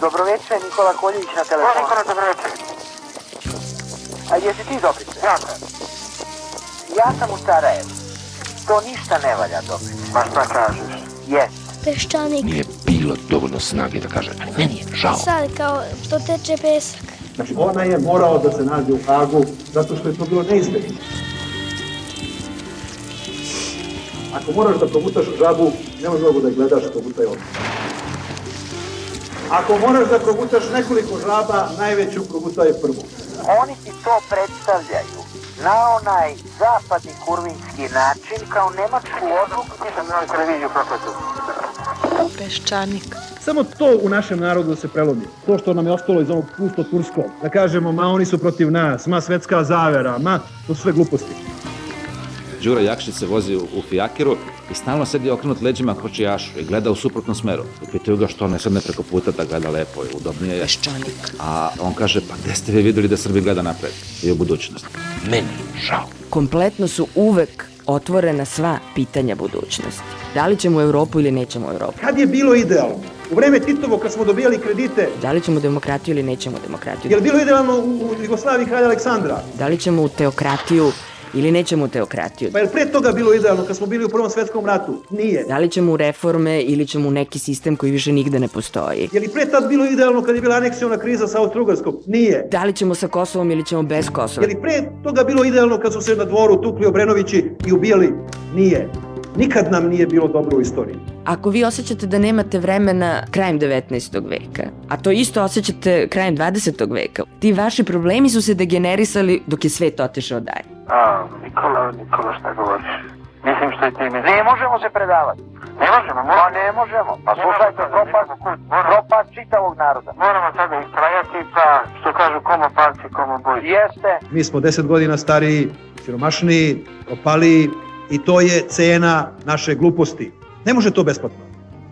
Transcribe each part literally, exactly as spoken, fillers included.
Dobroveče, Nikola Koljević na telefonu. O, Nikola, dobroveče. A jesi ti Dobrice? Ja sam. Ja sam u Sarajevu. To ništa ne valja, Dobrice. Ma šta kažeš? Jes. Peščanik. Nije bilo dovoljno snage da kaže, ali meni je žao. Sad kao što teče pesak. Znači, ona je morao da se nađe u Hagu zato što je to bilo neizbježno. Ako moraš da progutaš žabu, ne možeš mnogo da gledaš, progutaj odmah. Ako moraš da progutaš nekoliko žaba, najveću progutaj prvu. Oni ti to predstavljaju na onaj zapadni kurvinski način kao nemačku odluku. Nisam na televiziju prokletu. Peščanik. Samo to u našem narodu se prelomi. To što nam je ostalo iz onog pusto turskog. Da kažemo, ma oni su protiv nas, ma svetska zavera, ma to su sve gluposti. Đura Jakšić se vozi u, u fijakiru i stalno sedi okrenut leđima kočijašu i gleda u suprotnom smeru. I pitaju ga što ne sedne preko puta da gleda lepo i udobnije je. Peščanik. A on kaže, pa gde ste vi videli da Srbi gleda napred i u budućnost? Meni je žao. Kompletno su uvek otvorena sva pitanja budućnosti. Da li ćemo u Evropu ili nećemo u Evropu? Kad je bilo idealno? U vreme Titovo kad smo dobijali kredite. Da li ćemo demokratiju ili nećemo demokratiju? Je li bilo idealno u, u Jugoslaviji kralja Aleksandra? Da li ćemo u teokratiju ili nećemo u teokratiju? Pa je li pre toga bilo idealno kad smo bili u Prvom svetskom ratu? Nije. Da li ćemo u reforme ili ćemo u neki sistem koji više nigde ne postoji? Je li pre tad bilo idealno kad je bila aneksiona kriza sa Austro-Ugarskom? Nije. Da li ćemo sa Kosovom ili ćemo bez Kosova? Je li pre toga bilo idealno kad su se na dvoru tukli Obrenovići i ubijali? Nije. Nikad nam nije bilo dobro u istoriji. Ako vi osjećate da nemate vremena krajem devetnaestog veka, a to isto osjećate krajem dvadesetog veka, ti vaši problemi su se degenerisali dok je svet otišao dalje. A, Nikola, Nikola, šta govoriš? Mislim što je ti misliš. Ne možemo se predavati. Ne možemo, Pa moramo. ne možemo. Pa slušajte, propad, propad čitavog naroda. Moramo sada istrajati, pa što kažu komo palci, komo boji. Jeste. Mi smo deset godina stariji, siromašniji, opaliji i to je cena naše gluposti. Ne može to besplatno.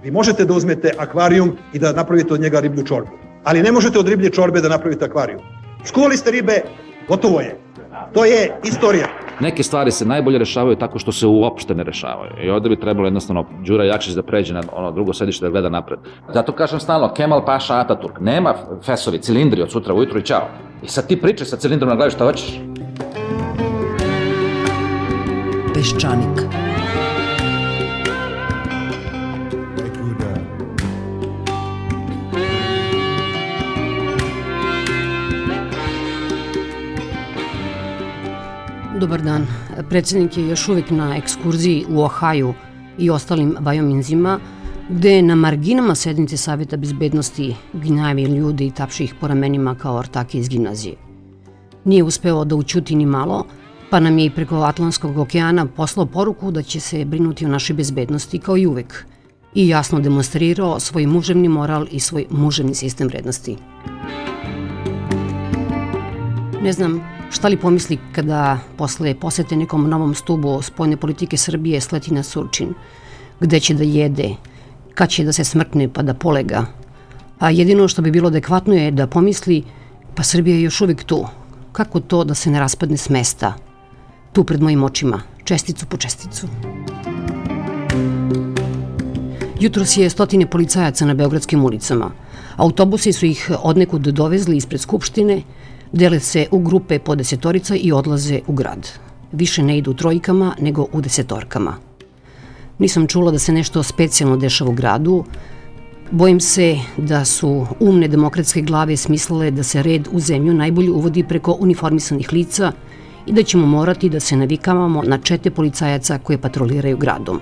Vi možete da uzmete akvarijum i da napravite od njega riblju čorbu. Ali ne možete od riblje čorbe da napravite akvarijum. Skuvali ste ribe, gotovo je. To je istorija. Neke stvari se najbolje rešavaju tako što se uopšte ne rešavaju. I ovde bi trebalo jednostavno Đura Jakšić da pređe na ono drugo sedište da gleda napred. Zato kažem stalno, Kemal Paša Ataturk, nema fesovi, cilindri od sutra ujutru i čao. I sad ti pričaj sa cilindrom na glavi šta hoćeš. Peščanik. Dobar dan. Predsjednik je još uvijek na ekskurziji u Ohaju i ostalim Vajominzima, gde na marginama sednice Savjeta bezbednosti gnjavi ljudi i tapši ih po ramenima kao ortake iz gimnazije. Nije uspeo da ućuti ni malo, pa nam je i preko Atlantskog okeana poslao poruku da će se brinuti o našoj bezbednosti kao i uvek i jasno demonstrirao svoj muževni moral i svoj muževni sistem vrednosti. Ne znam šta li pomisli kada posle posete nekom novom stubu spoljne politike Srbije sleti na Surčin, gde će da jede, kad će da se smrkne pa da polega. A jedino što bi bilo adekvatno je da pomisli, pa Srbija je još uvijek tu. Kako to da se ne raspadne s mesta? Tu pred mojim očima, česticu po česticu. Jutros je stotine policajaca na beogradskim ulicama. Autobusi su ih odnekud dovezli ispred Skupštine, dele se u grupe po desetorica i odlaze u grad. Više ne idu trojkama, nego u desetorkama. Nisam čula da se nešto specijalno dešava u gradu. Bojim se da su umne demokratske glave smislile da se red u zemlju najbolje uvodi preko uniformisanih lica i da ćemo morati da se navikavamo na čete policajaca koje patroliraju gradom.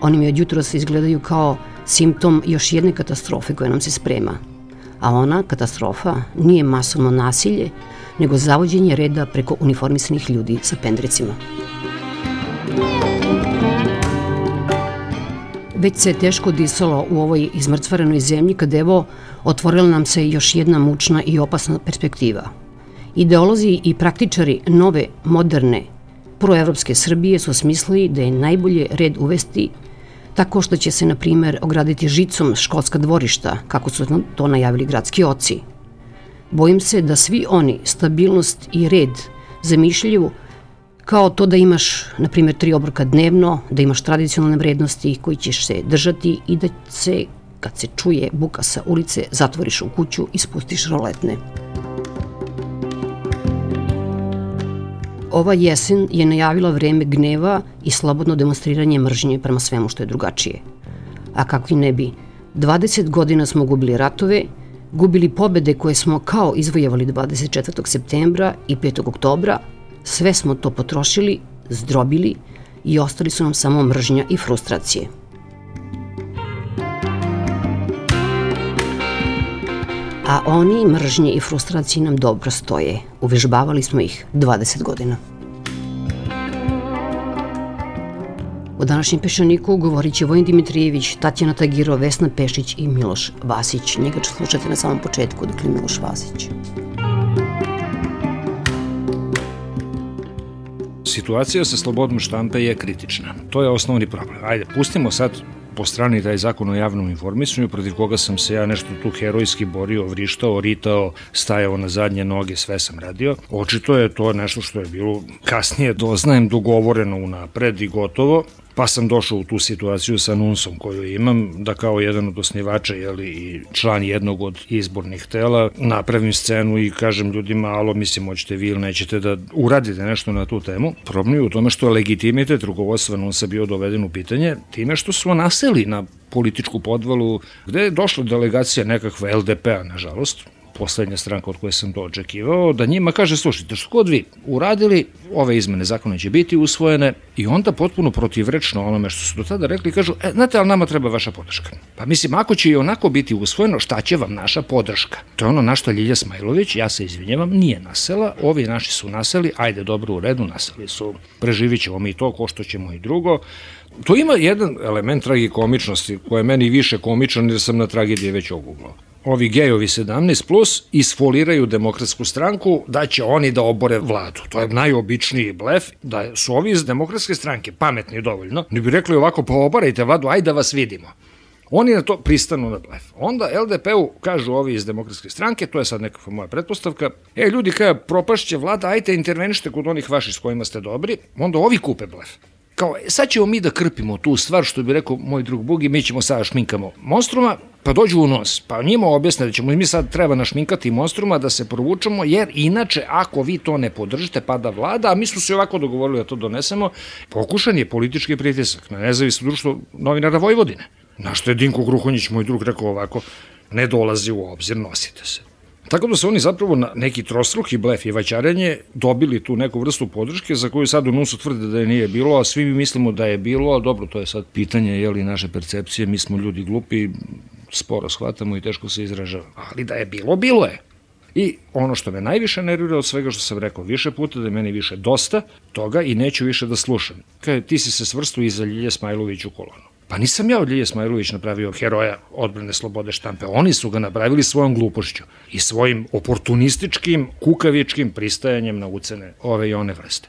Oni mi od jutros izgledaju kao simptom još jedne katastrofe koja nam se sprema. A ona, katastrofa, nije masovno nasilje, nego zavođenje reda preko uniformisanih ljudi sa pendrecima. Već se teško disalo u ovoj izmrcvarenoj zemlji kad evo otvorila nam se još jedna mučna i opasna perspektiva. Ideolozi i praktičari nove, moderne, proevropske Srbije su smislili da je najbolje red uvesti tako što će se, na primer, ograditi žicom školska dvorišta, kako su to najavili gradski oci. Bojim se da svi oni stabilnost i red zamišljaju kao to da imaš, na primjer, tri obroka dnevno, da imaš tradicionalne vrednosti koji ćeš se držati i da se Kad se čuje buka sa ulice, zatvoriš u kuću i spustiš roletne. Ova jesen je najavila vreme gneva i slobodno demonstriranje mržnje prema svemu što je drugačije. A kakvi ne bi, dvadeset godina smo gubili ratove, gubili pobede koje smo kao izvojevali dvadeset četvrtog septembra i petog oktobra, sve smo to potrošili, zdrobili i ostali su nam samo mržnja i frustracije. A oni mržnje i frustracije nam dobro stoje. Uvežbavali smo ih dvadeset godina. U današnjem Peščaniku govorit će Vojin Dimitrijević, Tatjana Tagirov, Vesna Pešić i Miloš Vasić. Njega ću slušati na samom početku, dakle Miloš Vasić. Situacija sa slobodom štampe je kritična. To je osnovni problem. Ajde, pustimo sad po strani taj zakon o javnom informisanju, protiv koga sam se ja nešto tu herojski borio, vrištao, ritao, stajao na zadnje noge, sve sam radio. Očito je to nešto što je bilo kasnije, doznajem, dogovoreno unapred i gotovo, pa sam došao u tu situaciju sa NUNS-om koju imam, da kao jedan od osnivača, jeli, i član jednog od izbornih tela, napravim scenu i kažem ljudima, alo, mislim, hoćete vi ili nećete da uradite nešto na tu temu. Problem je u tome što je legitimitet rukovodstva NUNS-a bio doveden u pitanje time što su naseli na političku podvalu, gde je došla delegacija nekakva L D P-a, nažalost, poslednja stranka od koje sam to očekivao, da njima kaže, slušajte, što god vi uradili, ove izmene zakona će biti usvojene, i onda potpuno protivrečno onome što su do tada rekli, kažu, e, znate, ali nama treba vaša podrška. Pa mislim, ako će i onako biti usvojeno, šta će vam naša podrška? To je ono na što Ljilja Smajlović, ja se izvinjavam, nije nasela, ovi naši su naseli, ajde, dobro, u redu, naseli su, preživit ćemo mi to, ko što ćemo i drugo. To ima jedan element tragikomičnosti, koji je meni više komičan, jer sam na tragedije već oguglao. Ovi gejovi sedamnaest plus isfoliraju Demokratsku stranku da će oni da obore vladu. To je najobičniji blef, da su ovi iz Demokratske stranke pametni dovoljno, ne bi rekli ovako, pa obarajte vladu, ajde da vas vidimo. Oni na to pristanu na blef. Onda L D P-u kažu ovi iz Demokratske stranke, to je sad nekakva moja pretpostavka, e, ljudi kada propašće vlada, ajte intervenište kod onih vaših s kojima ste dobri, onda ovi kupe blef. Kao, sad ćemo mi da krpimo tu stvar, što bi rekao moj drug Bugi, mi ćemo sada šminkamo monstruma, pa dođu u nos, pa njima objasne da ćemo mi sad treba našminkati monstruma da se provučemo, jer inače ako vi to ne podržite pada vlada, a mi smo se ovako dogovorili da to donesemo, pokušan je politički pritisak na nezavisno društvo novinara Vojvodine. Na što je Dinko Gruhonjić, moj drug, rekao ovako, ne dolazi u obzir, nosite se. Tako da su oni zapravo na neki trostruki blef i vaćarenje dobili tu neku vrstu podrške za koju sad u NUNS-u tvrde da je nije bilo, a svi mi mislimo da je bilo, ali dobro, to je sad pitanje, je li naše percepcije, mi smo ljudi glupi, sporo shvatamo i teško se izražavamo. Ali da je bilo, bilo je. I ono što me najviše nervira od svega što sam rekao više puta, da je meni više dosta toga i neću više da slušam. Kaže, ti si se svrstao iza Ljilje Smajlović u kolonu. Pa nisam ja od Ljilje Smajlović napravio heroja odbrane slobode štampe, oni su ga napravili svojom glupošću i svojim oportunističkim, kukavičkim pristajanjem na ucene ove i one vrste.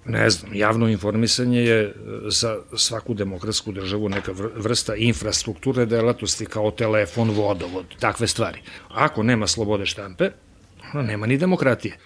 Ne znam, javno informisanje je za svaku demokratsku državu neka vrsta infrastrukture delatnosti kao telefon, vodovod, takve stvari. Ako nema slobode štampe, nema ni demokratije.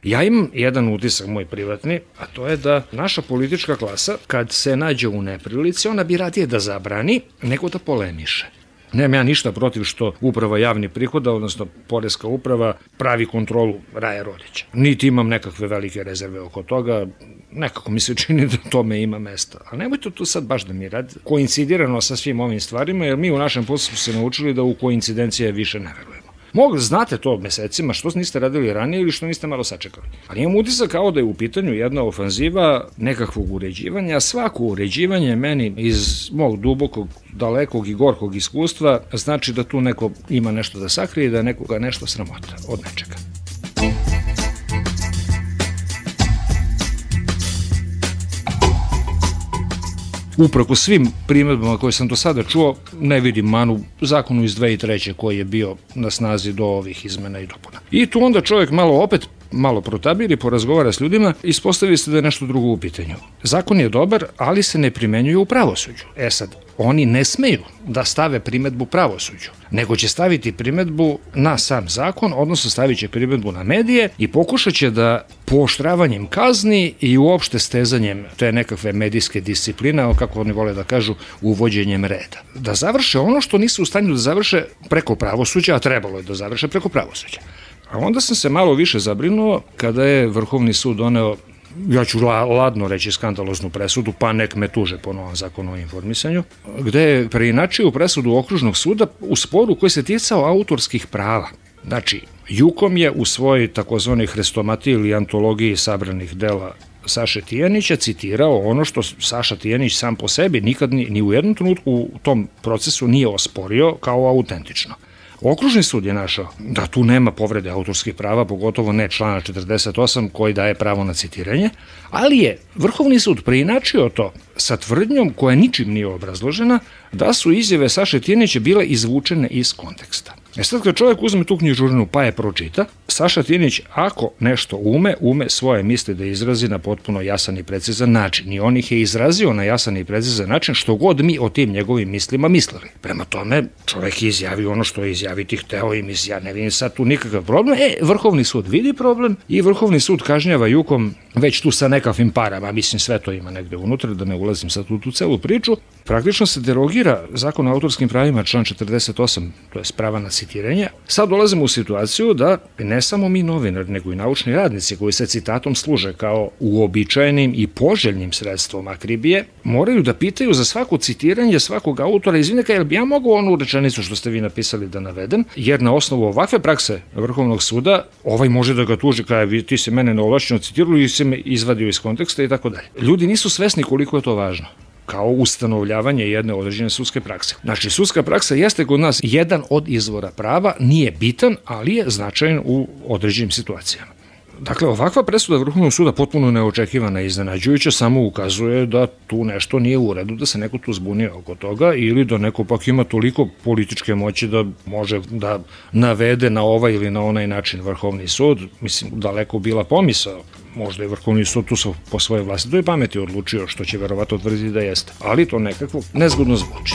Ja imam jedan utisak moj privatni, a to je da naša politička klasa, kad se nađe u neprilici, ona bi radije da zabrani nego da polemiše. Nemam ja ništa protiv što uprava javnih prihoda, odnosno poreska uprava, pravi kontrolu Raja Rodića. Niti imam nekakve velike rezerve oko toga, nekako mi se čini da tome ima mesta. A nemojte to sad baš da mi radi koincidirano sa svim ovim stvarima, jer mi u našem poslu smo se naučili da u koincidencije više ne verujemo. Mogli, znate to mesecima, što niste radili ranije ili što niste malo sačekali. Ali imam utisak kao da je u pitanju jedna ofanziva nekakvog uređivanja, a svako uređivanje meni iz mog dubokog, dalekog i gorkog iskustva znači da tu neko ima nešto da sakrije i da nekoga nešto sramota od nečega. Uprako svim primedbama koje sam do sada čuo, ne vidim manu zakonu iz dve hiljade treće koji je bio na snazi do ovih izmena i dopuna. I tu onda čovjek malo opet malo protabiri, porazgovara s ljudima, ispostavi se da je nešto drugo u pitanju. Zakon je dobar, ali se ne primenjuje u pravosuđu. E sad, oni ne smeju da stave primetbu pravosuđu, nego će staviti primetbu na sam zakon, odnosno stavit će primetbu na medije i pokušat će da pooštravanjem kazni i uopšte stezanjem te nekakve medijske discipline, kako oni vole da kažu, uvođenjem reda. Da završe ono što nisu u stanju da završe preko pravosuđa, a trebalo je da završe preko pravosuđa. A onda sam se malo više zabrinuo kada je Vrhovni sud doneo, ja ću ladno reći, skandaloznu presudu, pa nek me tuže po novom zakonu o informisanju, gde je preinačio presudu Okružnog suda u sporu koji se ticao autorskih prava. Znači, Jukom je u svojoj takozvanoj hrestomatiji ili antologiji sabranih dela Saše Tijanića citirao ono što Saša Tijanić sam po sebi nikad ni, ni u jednom trenutku u tom procesu nije osporio kao autentično. Okružni sud je našao da tu nema povrede autorskih prava, pogotovo ne člana četrdeset osam koji daje pravo na citiranje, ali je Vrhovni sud preinačio to sa tvrdnjom koja ničim nije obrazložena da su izjave Saše Tijanića bile izvučene iz konteksta. E sad kad čovjek uzme tu knjižurinu pa je pročita, Saša Tijanić ako nešto ume, ume svoje misli da izrazi na potpuno jasan i precizan način i on ih je izrazio na jasan i precizan način što god mi o tim njegovim mislima mislili. Prema tome, čovjek je izjavio ono što je izjaviti hteo i misli, ja ne vidim sad tu nikakav problem. E, Vrhovni sud vidi problem i Vrhovni sud kažnjava Jukom već tu sa nekakvim parama, mislim sve to ima negde unutra, da ne ulazim sad u tu celu priču. Praktično se derogira zakon o autorskim pravima, član četrdeset osam, to je prava na citiranje. Sad dolazimo u situaciju da ne samo mi novinari, nego i naučni radnici koji se citatom služe kao uobičajenim i poželjnim sredstvom akribije, moraju da pitaju za svako citiranje svakog autora, izvinite, jel bi ja mogu onu rečenicu što ste vi napisali da navedem, jer na osnovu ovakve prakse Vrhovnog suda ovaj može da ga tuži kao ti se mene neovlašćeno citirao i se me izvadio iz konteksta i tako dalje. Ljudi nisu svesni koliko je to važno kao ustanovljavanje jedne određene sudske prakse. Znači, sudska praksa jeste kod nas jedan od izvora prava, nije bitan, ali je značajan u određenim situacijama. Dakle, ovakva presuda Vrhovnog suda potpuno neočekivana i iznenađujuća samo ukazuje da tu nešto nije u redu, da se neko tu zbunio oko toga ili da neko pak ima toliko političke moći da može da navede na ovaj ili na onaj način Vrhovni sud. Mislim, daleko bila pomisao. Možda je Vrhovni sud tu po svojoj vlastitoj pameti odlučio, što će verovatno tvrditi da jeste. Ali to nekako nezgodno zvuči.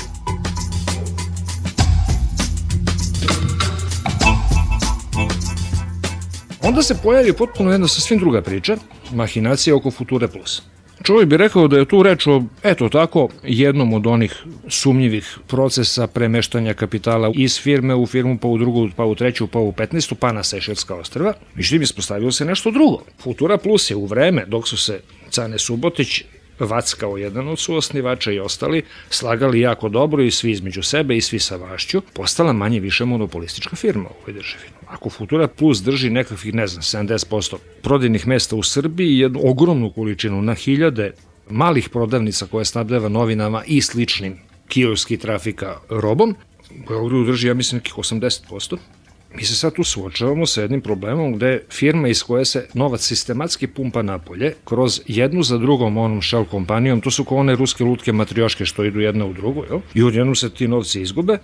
Onda se pojavi potpuno jedna sasvim druga priča, mahinacija oko Future Plus. Čovjek bi rekao da je tu reč o, eto tako, jednom od onih sumnjivih procesa premeštanja kapitala iz firme u firmu, pa u drugu, pa u treću, pa u petnaestu, pa na Sejšelska ostrva. Međutim, ispostavilo se nešto drugo. Futura Plus je u vreme dok su se Cane Subotić, Vac kao jedan od suosnivača i ostali slagali jako dobro i svi između sebe i svi sa vašću, postala manje više monopolistička firma u ovoj državi. Ako Futura Plus drži nekakvih, ne znam, sedamdeset posto prodajnih mesta u Srbiji i jednu ogromnu količinu na hiljade malih prodavnica koje snabdeva novinama i sličnim kioskim trafika robom, Beogradu drži, ja mislim, nekih osamdeset posto. Mi se sad tu suočavamo sa jednim problemom gde firma iz koje se novac sistematski pumpa napolje kroz jednu za drugom onom shell kompanijom, to su kao one ruske lutke matrioške što idu jedna u drugu, jel? I odjednom se ti novci izgube,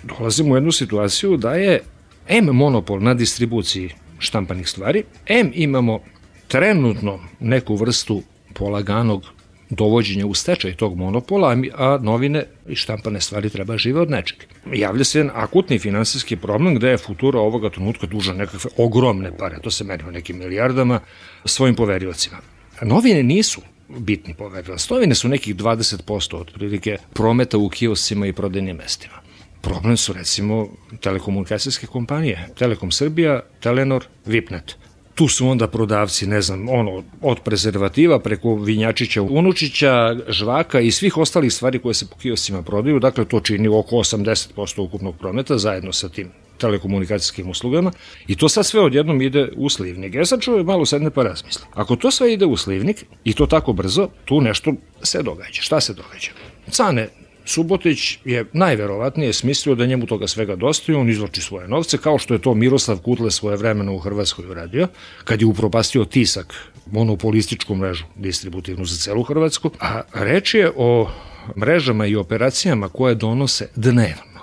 dolazimo u jednu situaciju da je em monopol na distribuciji štampanih stvari, em imamo trenutno neku vrstu polaganog dovođenja u stečaj tog monopola, a novine i štampane stvari treba žive od nečeg. Javlja se jedan akutni finansijski problem gde je Futura ovoga trenutka duža nekakve ogromne pare, to se meri u nekim milijardama, svojim poveriocima. Novine nisu bitni poverilac, novine su nekih dvadeset posto otprilike prometa u kioscima i prodajnim mestima. Problem su recimo telekomunikacijske kompanije, Telekom Srbija, Telenor, Vipnet. Tu su onda prodavci, ne znam, ono, od prezervativa preko vinjačića, unučića, žvaka i svih ostalih stvari koje se po kioscima prodaju, dakle to čini oko osamdeset posto ukupnog prometa zajedno sa tim telekomunikacijskim uslugama i to sad sve odjednom ide u slivnik. Ja sad čovjek malo sedne pa razmisli. Ako to sve ide u slivnik i to tako brzo, tu nešto se događa. Šta se događa? Cane Subotić je najverovatnije smislio da njemu toga svega dosta i on izvlači svoje novce, kao što je to Miroslav Kutle svoje vremeno u Hrvatskoj uradio, kad je upropastio Tisak, monopolističku mrežu distributivnu za celu Hrvatsku, a reč je o mrežama i operacijama koje donose dnevno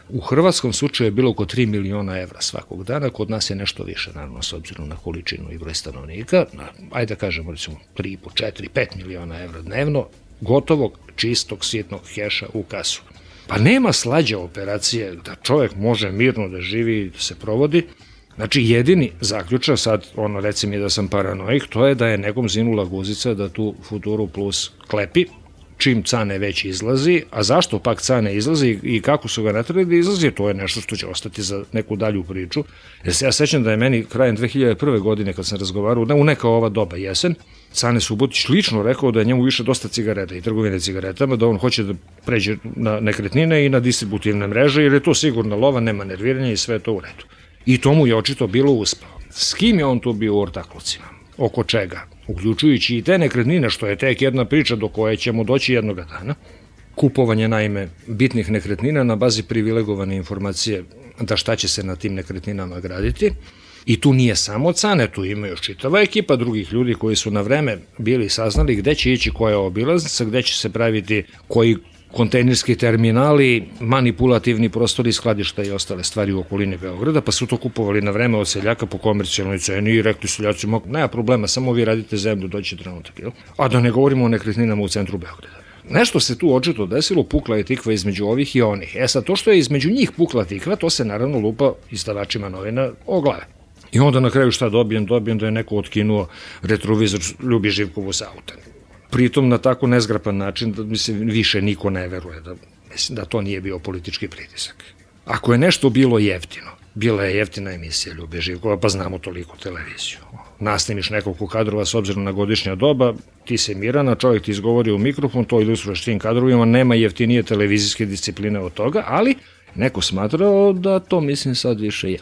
U hrvatskom slučaju je bilo oko tri miliona evra svakog dana, kod nas je nešto više, naravno, s obzirom na količinu i broj stanovnika, ajde da kažemo, recimo, tri, četiri, pet miliona evra dnevno, gotovog, čistog, sitnog keša u kasu. Pa nema slađe operacije da čovjek može mirno da živi, da se provodi. Znači, jedini zaključak, sad, ono, reci mi da sam paranoik, to je da je nekom zinula guzica da tu Futuru Plus klepi, čim Cane već izlazi, a zašto pak Cane izlazi i kako su ga natrali da izlazi, to je nešto što će ostati za neku dalju priču. Jer se ja sećam da je meni krajem dve hiljade prve. godine, kad sam razgovarao, u neka ova doba, jesen, Cane Subotić lično rekao da je njemu više dosta cigareta i trgovine cigaretama, da on hoće da pređe na nekretnine i na distributivne mreže, jer je to sigurna lova, nema nerviranja i sve to u redu. I to mu je očito bilo uspeo. S kim je on tu bio u ortaklucima? Oko čega? Uključujući i te nekretnine, što je tek jedna priča do koje ćemo doći jednoga dana. Kupovanje, naime, bitnih nekretnina na bazi privilegovane informacije da šta će se na tim nekretninama graditi. I tu nije samo Cane, tu ima još čitava ekipa drugih ljudi koji su na vreme bili saznali gde će ići koja obilaznica, gde će se praviti koji kontejnerski terminali, manipulativni prostori, skladišta i ostale stvari u okolini Beograda, pa su to kupovali na vreme od seljaka po komercijalnoj ceni i rekli seljacima, nema problema, samo vi radite zemlju, doći trenutak, jel? A da ne govorimo o nekretninama u centru Beograda. Nešto se tu očito desilo, pukla je tikva između ovih i onih. E sad, to što je između njih pukla tikva, to se naravno lupa izdavačima novina o glave. I onda na kraju šta dobijem? Dobijem da je neko otkinuo retrovizor Ljubi Živkovu sa auta. Pritom na tako nezgrapan način da mi se više niko ne veruje da, mislim, da to nije bio politički pritisak. Ako je nešto bilo jeftino, bila je jeftina emisija Ljube Živkova, pa znamo toliko televiziju. Nasnimiš nekoliko kadrova s obzirom na godišnja doba, ti se mirana, čovjek ti izgovori u mikrofon, to ilustruješ tim kadrovima, nema jeftinije televizijske discipline od toga, ali neko smatrao da to, mislim, sad više je.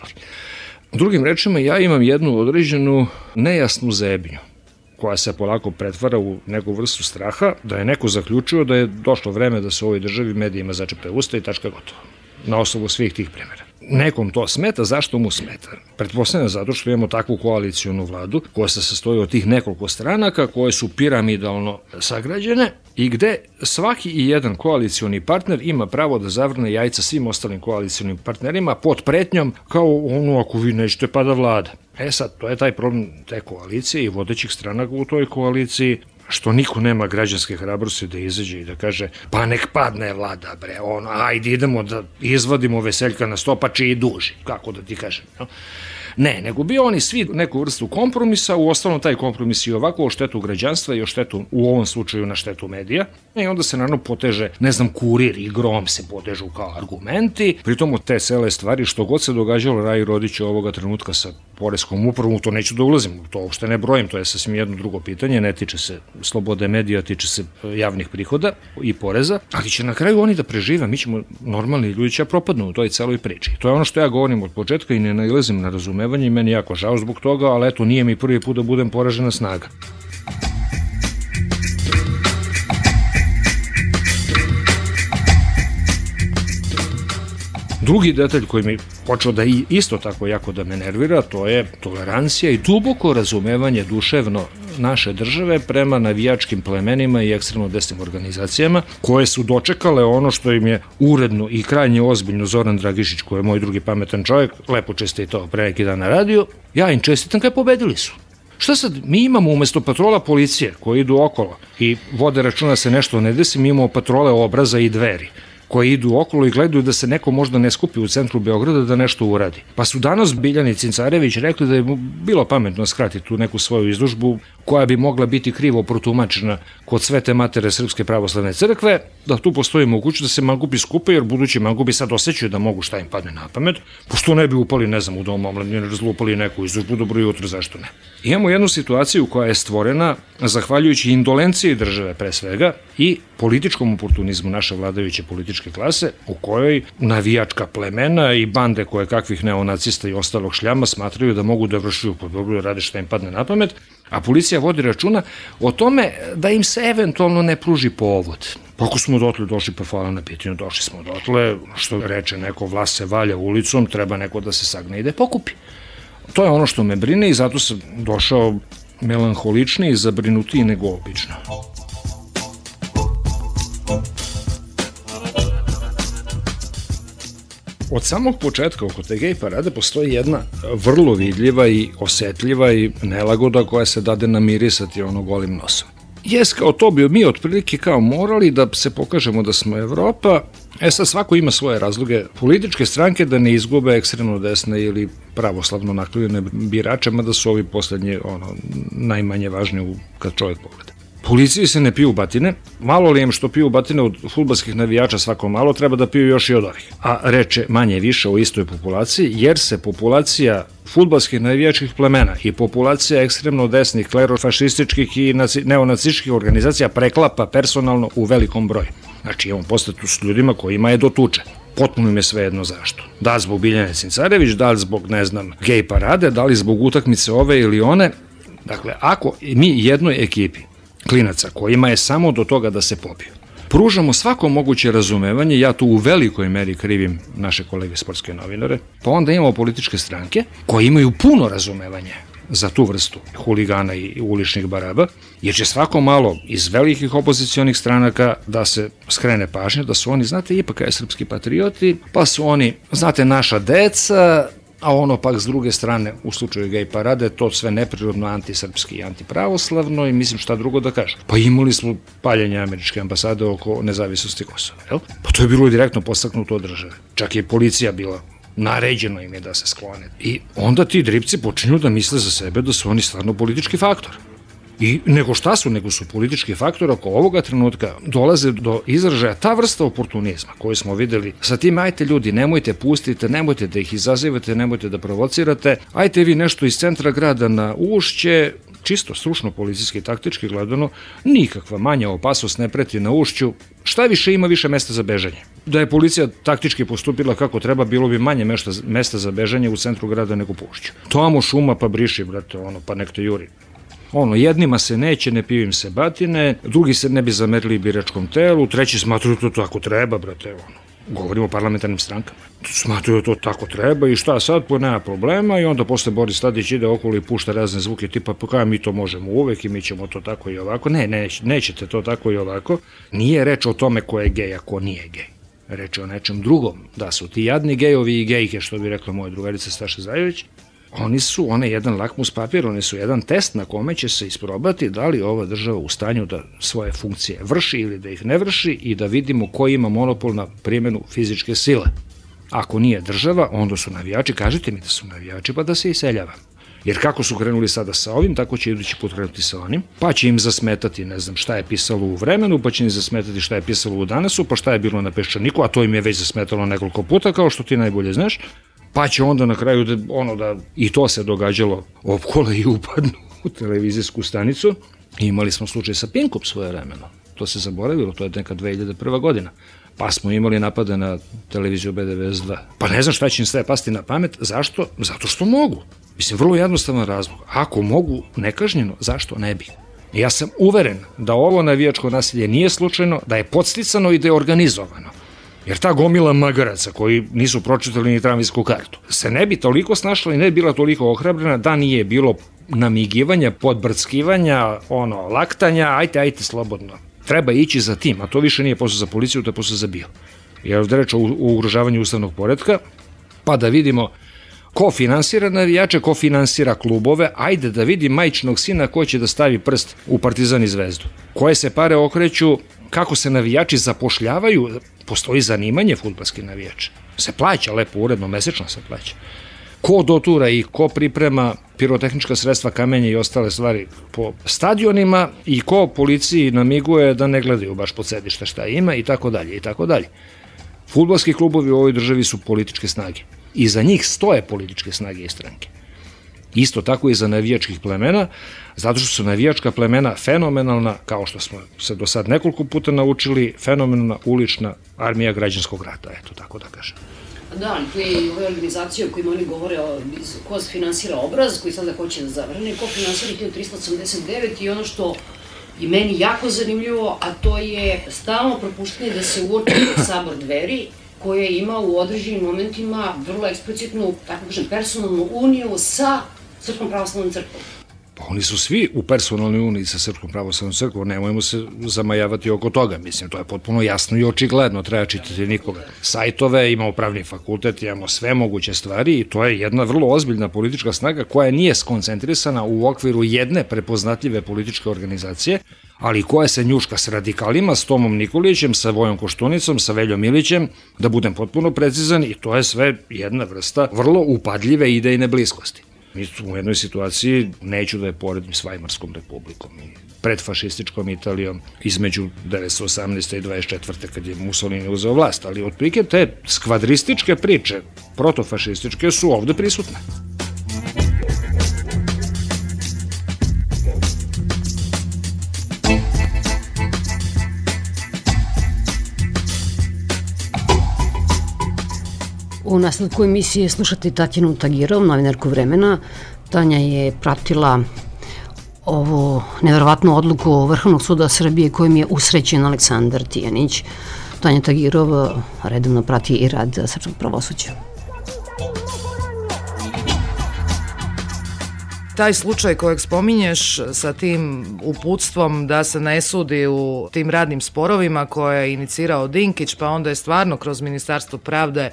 Drugim rečima, ja imam jednu određenu nejasnu zebnju koja se polako pretvara u neku vrstu straha, da je neko zaključio da je došlo vreme da se u ovoj državi medijima začepe usta i tačka gotovo. Na osnovu svih tih primjera. Nekom to smeta, zašto mu smeta? Pretpostavljam zato što imamo takvu koalicijonu vladu koja se sastoji od tih nekoliko stranaka koje su piramidalno sagrađene i gde svaki i jedan koalicioni partner ima pravo da zavrne jajca svim ostalim koalicionim partnerima pod pretnjom kao ono ako vi nećete pada vlada. E sad, to je taj problem te koalicije i vodećih stranaka u toj koaliciji, što niko nema građanske hrabrosti da izađe i da kaže pa nek padne vlada bre, ono, ajde idemo da izvadimo Veseljka na sto pa će i duži, kako da ti kažem. No? Ne, nego bi oni svi neku vrstu kompromisa, u ostalom taj kompromis i ovako o štetu građanstva i o štetu, u ovom slučaju na štetu medija, i onda se naravno poteže, ne znam, Kurir i Grom se potežu kao argumenti, pritom od te cele stvari što god se događalo Raji Rodiću ovoga trenutka sa poreskom upravom, to neću da ulazim, to uopšte ne brojim, to je sasvim jedno drugo pitanje, ne tiče se slobode medija, tiče se javnih prihoda i poreza, ali će na kraju oni da prežive, mi ćemo, normalni ljudi će propadnu u toj celoj priči. To je ono što ja govorim od početka i ne nailazim na razumevanje i meni jako žao zbog toga, ali eto, nije mi prvi put da budem poražena snaga. Drugi detalj koji mi počeo da isto tako jako da me nervira, to je tolerancija i duboko razumevanje duševno naše države prema navijačkim plemenima i ekstremno desnim organizacijama koje su dočekale ono što im je uredno i krajnje ozbiljno Zoran Dragišić, koji je moj drugi pametan čovjek, lepo čestitao pre neki dan na radio, ja im čestitam kaj pobedili su. Šta sad, mi imamo umesto patrola policije koji idu okolo i vode računa se nešto ne desi, mi imamo patrole Obraza i Dveri koji idu okolo i gledaju da se neko možda ne skupi u centru Beograda da nešto uradi. Pa su danas Biljana i Cincarević rekli da je bilo pametno skratiti tu neku svoju izložbu koja bi mogla biti krivo protumačena kod Svete Matere Srpske pravoslavne crkve, da tu postoji mogućnost da se mangupi skupe, jer budući mangupi sad osjećaju da mogu šta im padne na pamet, pošto ne bi upali, ne znam, u dom omladine, razlupali neku izložbu, dobro jutro, zašto ne. Imamo jednu situaciju koja je stvorena zahvaljujući indolenciji države pre svega i političkom oportunizmu naše vladajuće političke klase, u kojoj navijačka plemena i bande koje kakvih neonacista i ostalog šljama smatraju da mogu da vršuju pod dobro, rade šta im padne na pamet, a policija vodi računa o tome da im se eventualno ne pruži povod. Ako smo dotle došli, pa hvala na pitanju, došli smo dotle, što reče neko, vlast se valja ulicom, treba neko da se sagne i da je pokupi. To je ono što me brine i zato sam došao melanholičniji i zabrinutiji nego obično. od samog početka oko te gej parade postoji jedna vrlo vidljiva i osetljiva i nelagoda koja se dade namirisati ono golim nosom. Jes, kao to bi mi otprilike kao morali da se pokažemo da smo Evropa. E sad, svako ima svoje razloge političke stranke da ne izgube ekstremno desne ili pravoslavno naklonjene birače, mada su ovi poslednji ono, najmanje važni kad čovjek pogleda. Policiji se ne piju batine, malo li im što piju batine od fudbalskih navijača svako malo, treba da piju još i od ovih. A reče manje više o istoj populaciji, jer se populacija fudbalskih navijačkih plemena i populacija ekstremno desnih, klerofašističkih i neonacističkih organizacija preklapa personalno u velikom broju. Znači, imamo postatu s ljudima kojima je do tuče. Potpuno im je svejedno zašto. Da li zbog Biljane Cincarević, da li zbog, ne znam, gej parade, da li zbog utakmice ove ili one. Dakle, ako mi jednoj ekipi klinaca kojima je samo do toga da se pobiju, pružamo svako moguće razumevanje, ja tu u velikoj meri krivim naše kolege sportske novinare, pa onda imamo političke stranke koje imaju puno razumevanja za tu vrstu huligana i uličnih baraba, jer će svako malo iz velikih opozicionih stranaka da se skrene pažnja da su oni, znate, ipak je srpski patrioti, pa su oni, znate, naša deca, a ono pak s druge strane, u slučaju gej parade, to sve neprirodno antisrpski i antipravoslavno i mislim šta drugo da kažem. Pa imali smo paljenje američke ambasade oko nezavisnosti Kosova, jel? Pa to je bilo direktno postaknuto od države. Čak je policija bila, naređeno im je da se sklone. I onda ti dripci počinju da misle za sebe da su oni stvarno politički faktor. I nego šta su, nego su politički faktor, oko ovoga trenutka dolaze do izražaja ta vrsta oportunizma koju smo videli sa tim, ajte ljudi, nemojte pustite, nemojte da ih izazivate, nemojte da provocirate, ajte vi nešto iz centra grada na Ušće, čisto stručno, policijski, taktički gledano, nikakva manja opasnost ne preti na Ušću, šta više ima više mesta za bežanje. Da je policija taktički postupila kako treba, bilo bi manje mesta za bežanje u centru grada nego po Ušću. Tamo šuma pa briši, brate, ono, pa nek te juri. Ono, jednima se neće, ne piju im se batine, drugi se ne bi zamerili biračkom telu, treći smatruju to tako treba, brate, ono. Govorimo o parlamentarnim strankama. Smatruju to tako treba i šta sad, pa nema problema i onda posle Boris Tadić ide okolo i pušta razne zvuke tipa pa kada mi to možemo uvek i mi ćemo to tako i ovako. Ne, ne, nećete to tako i ovako. Nije reč o tome ko je gej, a ko nije gej. Reč je o nečem drugom. Da su ti jadni gejovi i gejke, što bi rekla moja drugarica Staša Zajević, oni su, one jedan lakmus papir, oni su jedan test na kome će se isprobati da li ova država u stanju da svoje funkcije vrši ili da ih ne vrši i da vidimo ko ima monopol na primjenu fizičke sile. Ako nije država, onda su navijači, kažite mi da su navijači, pa da se iseljava. Jer kako su krenuli sada sa ovim, tako će idući put krenuti sa onim, pa će im zasmetati, ne znam, šta je pisalo u Vremenu, pa će im zasmetati šta je pisalo u Danasu, pa šta je bilo na Peščaniku, a to im je već zasmetalo nekoliko puta, kao što ti najbolje znaš. Pa će onda na kraju, da, ono da, i to se događalo, opkole i upadnu u televizijsku stanicu. I imali smo slučaj sa Pinkom svoje vremeno. To se zaboravilo, to je neka dve hiljade prva godina. Pa smo imali napade na televiziju B devedeset dva. Pa ne znam šta će im sve pasti na pamet. Zašto? Zato što mogu. Mislim, vrlo jednostavan razlog. Ako mogu nekažnjeno, zašto ne bi? Ja sam uveren da ovo navijačko nasilje nije slučajno, da je podsticano i da je organizovano. Jer ta gomila magaraca koji nisu pročitali ni tramvajsku kartu se ne bi toliko snašla i ne bi bila toliko ohrabrena da nije bilo namigivanja, podbrckivanja, ono, laktanja, ajte, ajte, slobodno. Treba ići za tim, a to više nije posao za policiju, to je posao za bio. Jer ovdje reč o ugrožavanju ustavnog poretka, pa da vidimo ko finansira navijače, ko finansira klubove, ajde da vidi majčinog sina ko će da stavi prst u Partizan i Zvezdu. Koje se pare okreću, kako se navijači zapošljavaju, postoji zanimanje fudbalski navijač. Se plaća lepo, uredno, mesečno se plaća. Ko dotura i ko priprema pirotehnička sredstva, kamenje i ostale stvari po stadionima i ko policiji namiguje da ne gledaju baš pod sedište šta ima i tako dalje i tako dalje. Fudbalski klubovi u ovoj državi su političke snage. I za njih stoje političke snage i stranke. Isto tako i za navijačkih plemena, zato što su navijačka plemena fenomenalna, kao što smo se do sad nekoliko puta naučili, fenomenalna ulična armija građanskog rata, eto tako da kažem. Da, tu je i ove organizacije o kojima oni govore o ko finansira obraz, koji sada hoće da zavrne, ko finansira hiljadu trista osamdeset devet i ono što je meni jako zanimljivo, a to je stalno propuštanje da se uoči sabor Dveri, koja ima u određenim momentima vrlo eksplicitnu, tako kažem, personalnu uniju sa Srpskom pravoslavnom crkvom. Pa oni su svi u personalnoj uniji sa Srpskom pravoslavnom crkvom, nemojmo se zamajavati oko toga, mislim, to je potpuno jasno i očigledno, treba čitati nikoga. Sajtove, imamo pravni fakultet, imamo sve moguće stvari i to je jedna vrlo ozbiljna politička snaga koja nije skoncentrisana u okviru jedne prepoznatljive političke organizacije, ali koja se njuška s radikalima, s Tomom Nikolićem, sa Vojom Koštunicom, sa Veljom Ilićem, da budem potpuno precizan, i to je sve jedna vrsta vrlo upadljive idejne bliskosti. Mi smo u jednoj situaciji, neću da je poredim s Vajmarskom republikom i predfašističkom Italijom između devetsto osamnaeste. i dvadeset četvrte. kad je Mussolini uzeo vlast, ali otprilike te skvadrističke priče, protofašističke, su ovde prisutne. U nastavku emisije slušate Tatjanu Tagirov, novinarku Vremena. Tanja je pratila ovu neverovatnu odluku Vrhovnog suda Srbije kojim je usrećen Aleksandar Tijanić. Tanja Tagirov redovno prati i rad srpskog pravosuđa. Taj slučaj kojeg spominješ sa tim uputstvom da se ne sudi u tim radnim sporovima koje je inicirao Dinkić, pa onda je stvarno kroz Ministarstvo pravde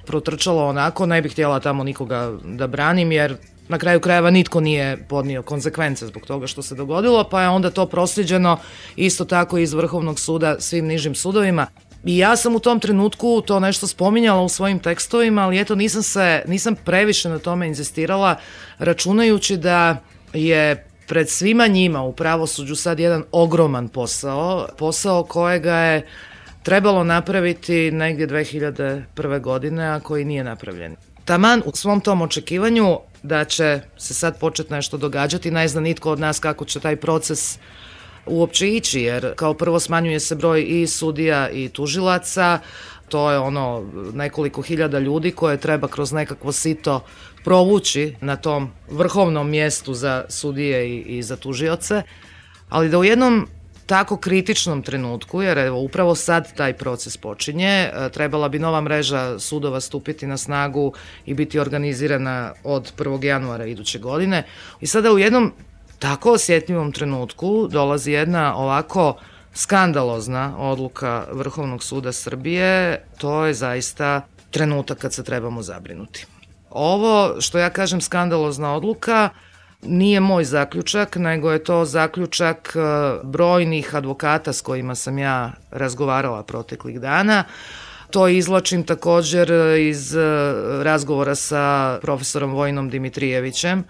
protrčalo onako, ne bih htjela tamo nikoga da branim, jer na kraju krajeva nitko nije podnio konsekvence zbog toga što se dogodilo, pa je onda to prosljeđeno isto tako iz Vrhovnog suda svim nižim sudovima. I ja sam u tom trenutku to nešto spominjala u svojim tekstovima, ali eto nisam se, nisam previše na tome inzistirala, računajući da je pred svima njima u pravosuđu sad jedan ogroman posao, posao kojega je trebalo napraviti negdje dve hiljade prve. godine, a koji nije napravljen. Taman u svom tom očekivanju da će se sad početi nešto događati, ne zna nitko od nas kako će taj proces uopće ići, jer kao prvo smanjuje se broj i sudija i tužilaca, to je ono nekoliko hiljada ljudi koje treba kroz nekakvo sito provući na tom vrhovnom mjestu za sudije i, i za tužioce, ali da u jednom tako kritičnom trenutku, jer evo upravo sad taj proces počinje, trebala bi nova mreža sudova stupiti na snagu i biti organizirana od prvog januara iduće godine. I sada u jednom tako osjetljivom trenutku dolazi jedna ovako skandalozna odluka Vrhovnog suda Srbije, to je zaista trenutak kad se trebamo zabrinuti. Ovo što ja kažem skandalozna odluka nije moj zaključak, nego je to zaključak brojnih advokata s kojima sam ja razgovarala proteklih dana. To izvlačim također iz razgovora sa profesorom Vojinom Dimitrijevićem,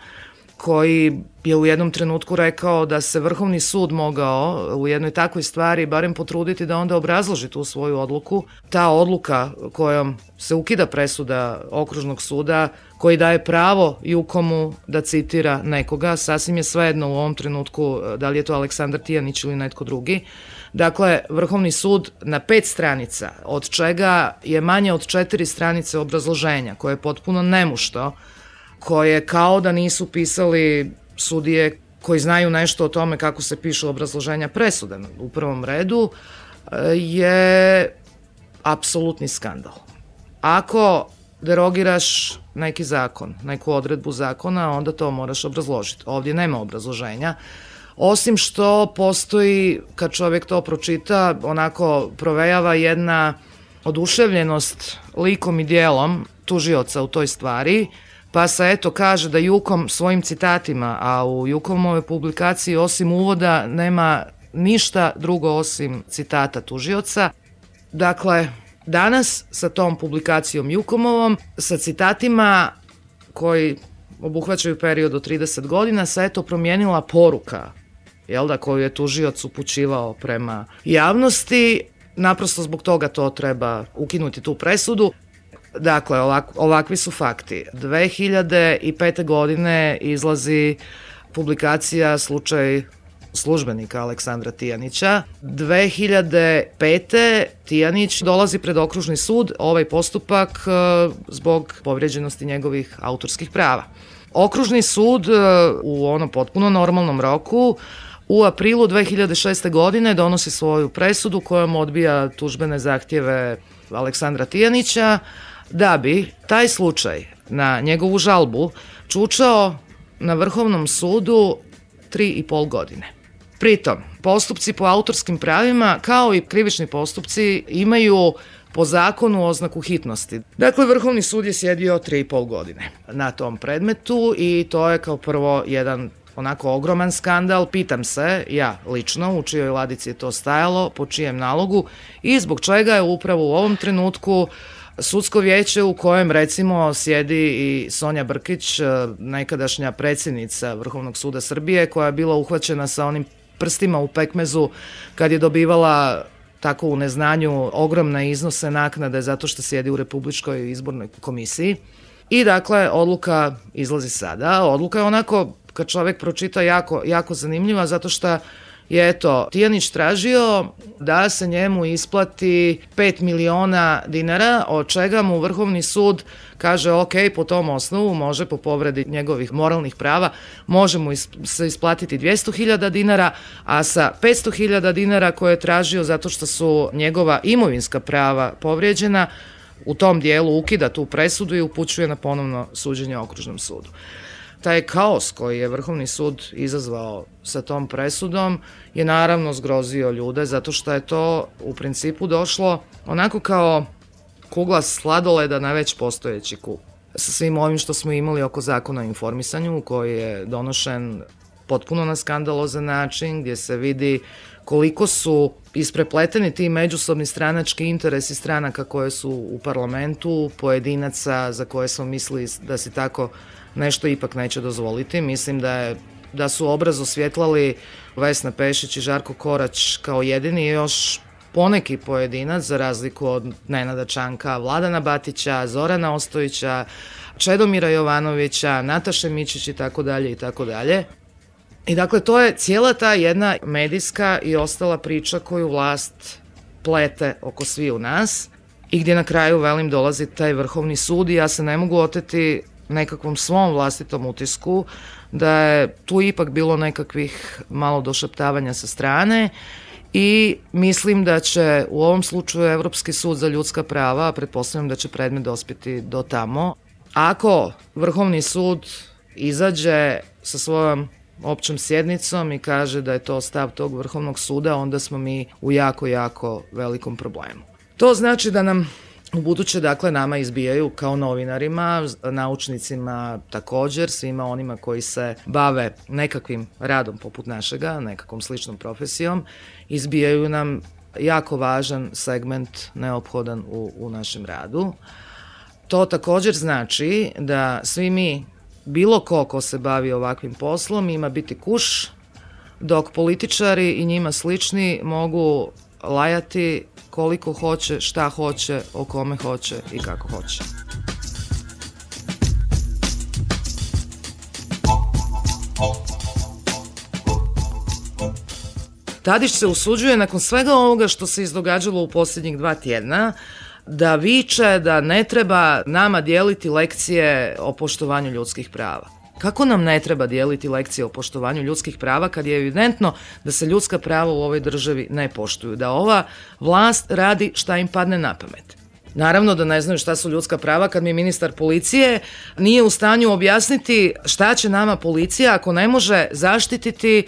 koji je u jednom trenutku rekao da se Vrhovni sud mogao u jednoj takvoj stvari barem potruditi da onda obrazloži tu svoju odluku. Ta odluka kojom se ukida presuda Okružnog suda, koji daje pravo Jukomu da citira nekoga, sasvim je svejedno u ovom trenutku da li je to Aleksandar Tijanić ili netko drugi. Dakle, Vrhovni sud na pet stranica, od čega je manje od četiri stranice obrazloženja, koje je potpuno nemušto, koje kao da nisu pisali sudije koji znaju nešto o tome kako se pišu obrazloženja presuda u prvom redu, je apsolutni skandal. Ako derogiraš neki zakon, neku odredbu zakona, onda to moraš obrazložiti. Ovdje nema obrazloženja, osim što postoji, kad čovjek to pročita, onako provejava jedna oduševljenost likom i dijelom tužioca u toj stvari, pa se eto kaže da Jukom svojim citatima, a u Jukomovoj publikaciji osim uvoda nema ništa drugo osim citata tužioca. Dakle, danas sa tom publikacijom Jukomovom, sa citatima koji obuhvaćaju period od trideset godina, se eto promijenila poruka, jel da, koju je tužioc upućivao prema javnosti. Naprosto zbog toga to treba ukinuti tu presudu. Dakle, ovak, ovakvi su fakti. dve hiljade pete. godine izlazi publikacija slučaj službenika Aleksandra Tijanića. dve hiljade pete. Tijanić dolazi pred Okružni sud, ovaj postupak zbog povrijeđenosti njegovih autorskih prava. Okružni sud u onom potpuno normalnom roku u aprilu dve hiljade šeste. godine donosi svoju presudu kojom odbija tužbene zahtjeve Aleksandra Tijanića, da bi taj slučaj na njegovu žalbu čučao na Vrhovnom sudu tri i pol godine. Pritom, postupci po autorskim pravima, kao i krivični postupci, imaju po zakonu oznaku hitnosti. Dakle, Vrhovni sud je sjedio tri i pol godine na tom predmetu i to je kao prvo jedan onako ogroman skandal. Pitam se, ja lično, u čijoj ladici je to stajalo, po čijem nalogu i zbog čega je upravo u ovom trenutku sudsko vijeće u kojem recimo sjedi i Sonja Brkić, nekadašnja predsjednica Vrhovnog suda Srbije, koja je bila uhvaćena sa onim prstima u pekmezu kad je dobivala tako u neznanju ogromne iznose naknade zato što sjedi u Republičkoj izbornoj komisiji. I dakle, odluka izlazi sada. Odluka je onako, kad čovjek pročita, jako, jako zanimljiva zato što je, eto, Tijanić tražio da se njemu isplati pet miliona dinara, od čega mu Vrhovni sud kaže ok, po tom osnovu može, po povredi njegovih moralnih prava, može mu se isplatiti dvjesto hiljada dinara, a sa petsto hiljada dinara koje je tražio zato što su njegova imovinska prava povrijeđena, u tom dijelu ukida tu presudu i upućuje na ponovno suđenje Okružnom sudu. Taj kaos koji je Vrhovni sud izazvao sa tom presudom je naravno zgrozio ljude zato što je to u principu došlo onako kao kugla sladoleda na već postojeći kub. Sa svim ovim što smo imali oko zakona o informisanju koji je donošen potpuno na skandalozan način gdje se vidi koliko su isprepleteni ti međusobni stranački interesi stranaka koje su u parlamentu, pojedinaca za koje smo mislili da si tako nešto ipak neće dozvoliti. Mislim da, je, da su obraz osvjetlali Vesna Pešić i Žarko Korać kao jedini još poneki pojedinac, za razliku od Nenada Čanka, Vladana Batića, Zorana Ostojića, Čedomira Jovanovića, Nataše Mićić i tako dalje i tako dalje. I dakle, to je cijela ta jedna medijska i ostala priča koju vlast plete oko svi u nas i gdje na kraju, velim, dolazi taj Vrhovni sud i ja se ne mogu oteti nekakvom svom vlastitom utisku da je tu ipak bilo nekakvih malo došaptavanja sa strane i mislim da će u ovom slučaju Evropski sud za ljudska prava, a pretpostavljam da će predmet dospjeti do tamo, ako Vrhovni sud izađe sa svojom općom sjednicom i kaže da je to stav tog Vrhovnog suda, onda smo mi u jako, jako velikom problemu. To znači da nam u buduće, dakle, nama izbijaju kao novinarima, naučnicima također, svima onima koji se bave nekakvim radom poput našega, nekakvom sličnom profesijom, izbijaju nam jako važan segment neophodan u, u našem radu. To također znači da svi mi, bilo ko ko se bavi ovakvim poslom, ima biti kuš, dok političari i njima slični mogu lajati koliko hoće, šta hoće, o kome hoće i kako hoće. Tadić se usuđuje nakon svega ovoga što se izdogađalo u posljednjih dva tjedna da viče da ne treba nama dijeliti lekcije o poštovanju ljudskih prava. Kako nam ne treba dijeliti lekcije o poštovanju ljudskih prava kad je evidentno da se ljudska prava u ovoj državi ne poštuju, da ova vlast radi šta im padne na pamet? Naravno da ne znaju šta su ljudska prava kad mi ministar policije nije u stanju objasniti šta će nama policija ako ne može zaštititi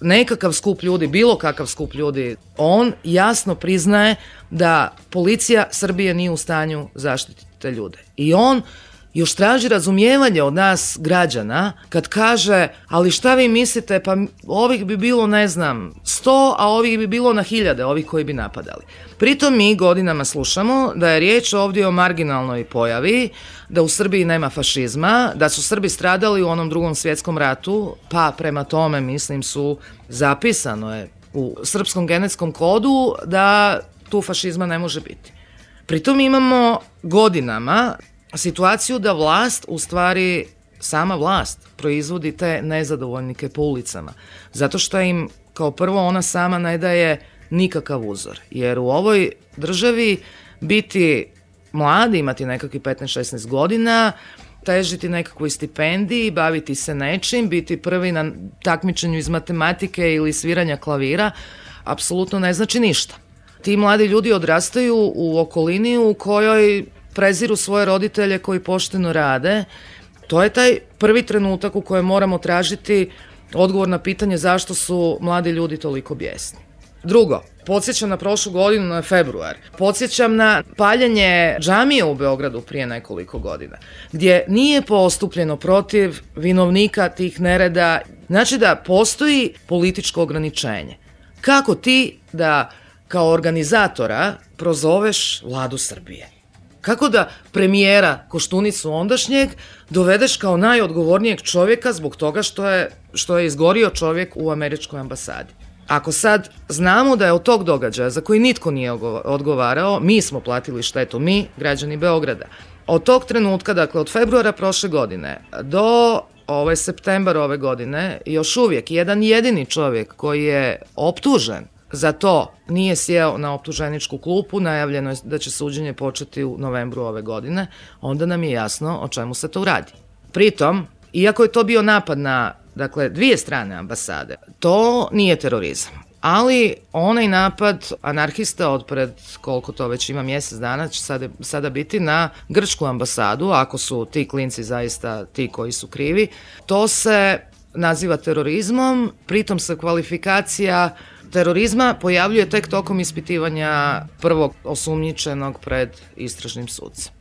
nekakav skup ljudi, bilo kakav skup ljudi. On jasno priznaje da policija Srbije nije u stanju zaštititi te ljude. I on još traži razumijevanje od nas građana kad kaže, ali šta vi mislite, pa ovih bi bilo, ne znam, sto, a ovih bi bilo na hiljade, ovih koji bi napadali. Pritom mi godinama slušamo da je riječ ovdje o marginalnoj pojavi, da u Srbiji nema fašizma, da su Srbi stradali u onom Drugom svjetskom ratu, pa prema tome, mislim, su zapisano je u srpskom genetskom kodu da tu fašizma ne može biti. Pritom imamo godinama situaciju da vlast, u stvari sama vlast, proizvodi te nezadovoljnike po ulicama. Zato što im, kao prvo, ona sama ne daje nikakav uzor. Jer u ovoj državi biti mladi, imati nekakvih petnaest šesnaest godina, težiti nekakvoj stipendiji, baviti se nečim, biti prvi na takmičenju iz matematike ili sviranja klavira, apsolutno ne znači ništa. Ti mladi ljudi odrastaju u okolini u kojoj preziru svoje roditelje koji pošteno rade. To je taj prvi trenutak u kojem moramo tražiti odgovor na pitanje zašto su mladi ljudi toliko bijesni. Drugo, podsjećam na prošlu godinu, na februar. Podsjećam na paljenje džamije u Beogradu prije nekoliko godina, gdje nije postupljeno protiv vinovnika tih nereda. Znači da postoji političko ograničenje. Kako ti da kao organizatora prozoveš vladu Srbije? Kako da premijera Koštunicu ondašnjeg dovedeš kao najodgovornijeg čovjeka zbog toga što je, što je izgorio čovjek u američkoj ambasadi? Ako sad znamo da je od tog događaja za koji nitko nije odgovarao, mi smo platili štetu, mi, građani Beograda. Od tog trenutka, dakle od februara prošle godine do ovaj septembar ove godine, još uvijek jedan jedini čovjek koji je optužen za to nije sjeo na optuženičku klupu, najavljeno je da će suđenje početi u novembru ove godine, onda nam je jasno o čemu se to radi. Pritom, iako je to bio napad na, dakle, dvije strane ambasade, to nije terorizam. Ali onaj napad anarhista od pred, koliko to već ima, mjesec dana, će sada, sada biti na grčku ambasadu, ako su ti klinci zaista ti koji su krivi, to se naziva terorizmom, pritom se kvalifikacija terorizma pojavljuje tek tokom ispitivanja prvog osumnjičenog pred istražnim sucem.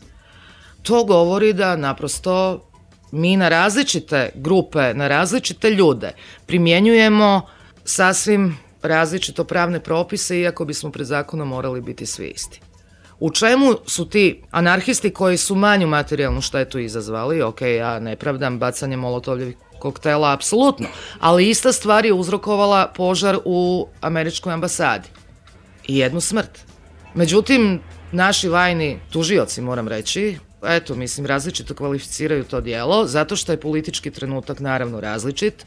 To govori da naprosto mi na različite grupe, na različite ljude primjenjujemo sasvim različito pravne propise, iako bismo pred zakonom morali biti svi isti. U čemu su ti anarhisti koji su manju materijalnu štetu izazvali? Ok, ja ne pravdam bacanje molotovljevih koktela, apsolutno, ali ista stvar je uzrokovala požar u američkoj ambasadi i jednu smrt. Međutim, naši vajni tužioci, moram reći, eto, mislim, različito kvalificiraju to djelo, zato što je politički trenutak naravno različit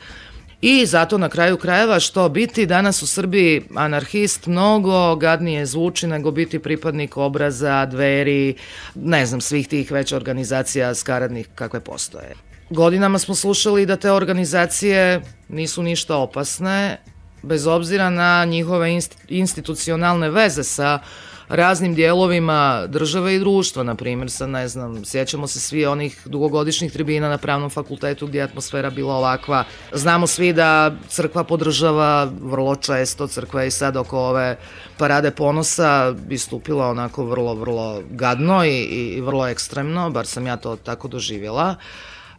i zato na kraju krajeva što biti danas u Srbiji anarhist mnogo gadnije zvuči nego biti pripadnik Obraza, Dveri, ne znam, svih tih već organizacija skaradnih kakve postoje. Godinama smo slušali da te organizacije nisu ništa opasne, bez obzira na njihove institucionalne veze sa raznim dijelovima države i društva, na primjer, sa, ne znam, sjećamo se svi onih dugogodišnjih tribina na Pravnom fakultetu gdje je atmosfera bila ovakva. Znamo svi da crkva podržava vrlo često, crkva je i sad oko ove parade ponosa istupila onako vrlo, vrlo gadno i, i vrlo ekstremno, bar sam ja to tako doživjela,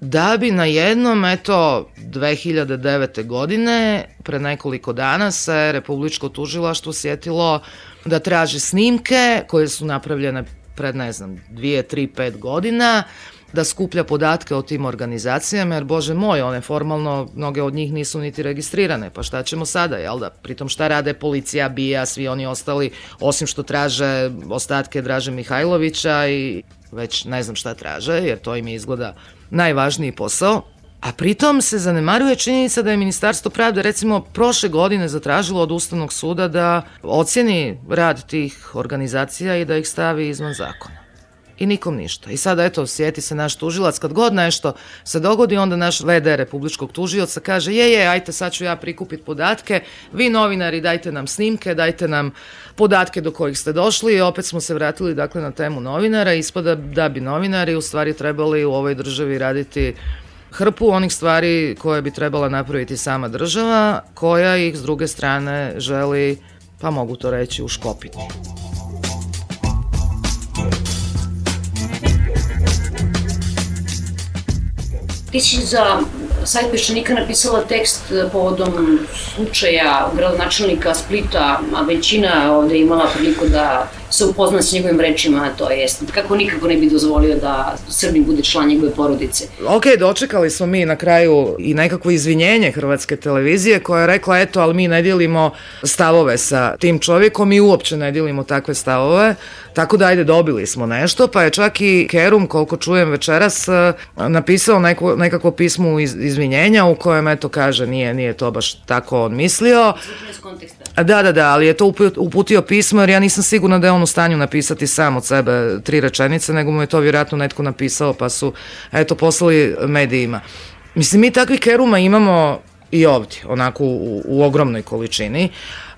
da bi na jednom, eto, dve hiljade devete. godine, pre nekoliko dana se Republičko tužilaštvo sjetilo da traži snimke koje su napravljene pred, ne znam, dvije, tri, pet godina, da skuplja podatke o tim organizacijama, jer, bože moj, one formalno, mnoge od njih nisu niti registrirane, pa šta ćemo sada, jel da? Pritom šta rade policija, B I A, svi oni ostali, osim što traže ostatke Draže Mihajlovića i već ne znam šta traže, jer to im je izgleda najvažniji posao. A pritom se zanemaruje činjenica da je Ministarstvo pravde recimo prošle godine zatražilo od Ustavnog suda da ocjeni rad tih organizacija i da ih stavi izvan zakona. I nikom ništa. I sada, eto, sjeti se naš tužilac, kad god nešto se dogodi, onda naš V D Republičkog tužioca kaže, je, je, ajte, sad ću ja prikupiti podatke, vi novinari dajte nam snimke, dajte nam podatke do kojih ste došli i opet smo se vratili, dakle, na temu novinara. Ispada da bi novinari u stvari trebali u ovoj državi raditi hrpu onih stvari koje bi trebala napraviti sama država, koja ih s druge strane želi, pa mogu to reći, uškopiti. Ti si za sajt Peščanika napisala tekst povodom slučaja gradonačelnika Splita, a većina ovde imala priliku da se upozna s njegovim rečima, to jest kako nikako ne bi dozvolio da Srbin bude član njegove porodice. Ok, dočekali smo mi na kraju i nekakvo izvinjenje Hrvatske televizije koja je rekla, eto, ali mi ne dijelimo stavove sa tim čovjekom i uopće ne dijelimo takve stavove, tako da ajde, dobili smo nešto, pa je čak i Kerum, koliko čujem večeras, napisao neko, nekakvo pismo izvinjenja u kojem, eto, kaže, nije, nije to baš tako on mislio. Iz konteksta. Da, da, da, ali je to uputio pismo jer ja nisam sigurna da je on u stanju napisati sam od sebe tri rečenice, nego mu je to vjerojatno netko napisao pa su, eto, poslali medijima. Mislim, mi takvih Keruma imamo i ovdje, onako u, u ogromnoj količini.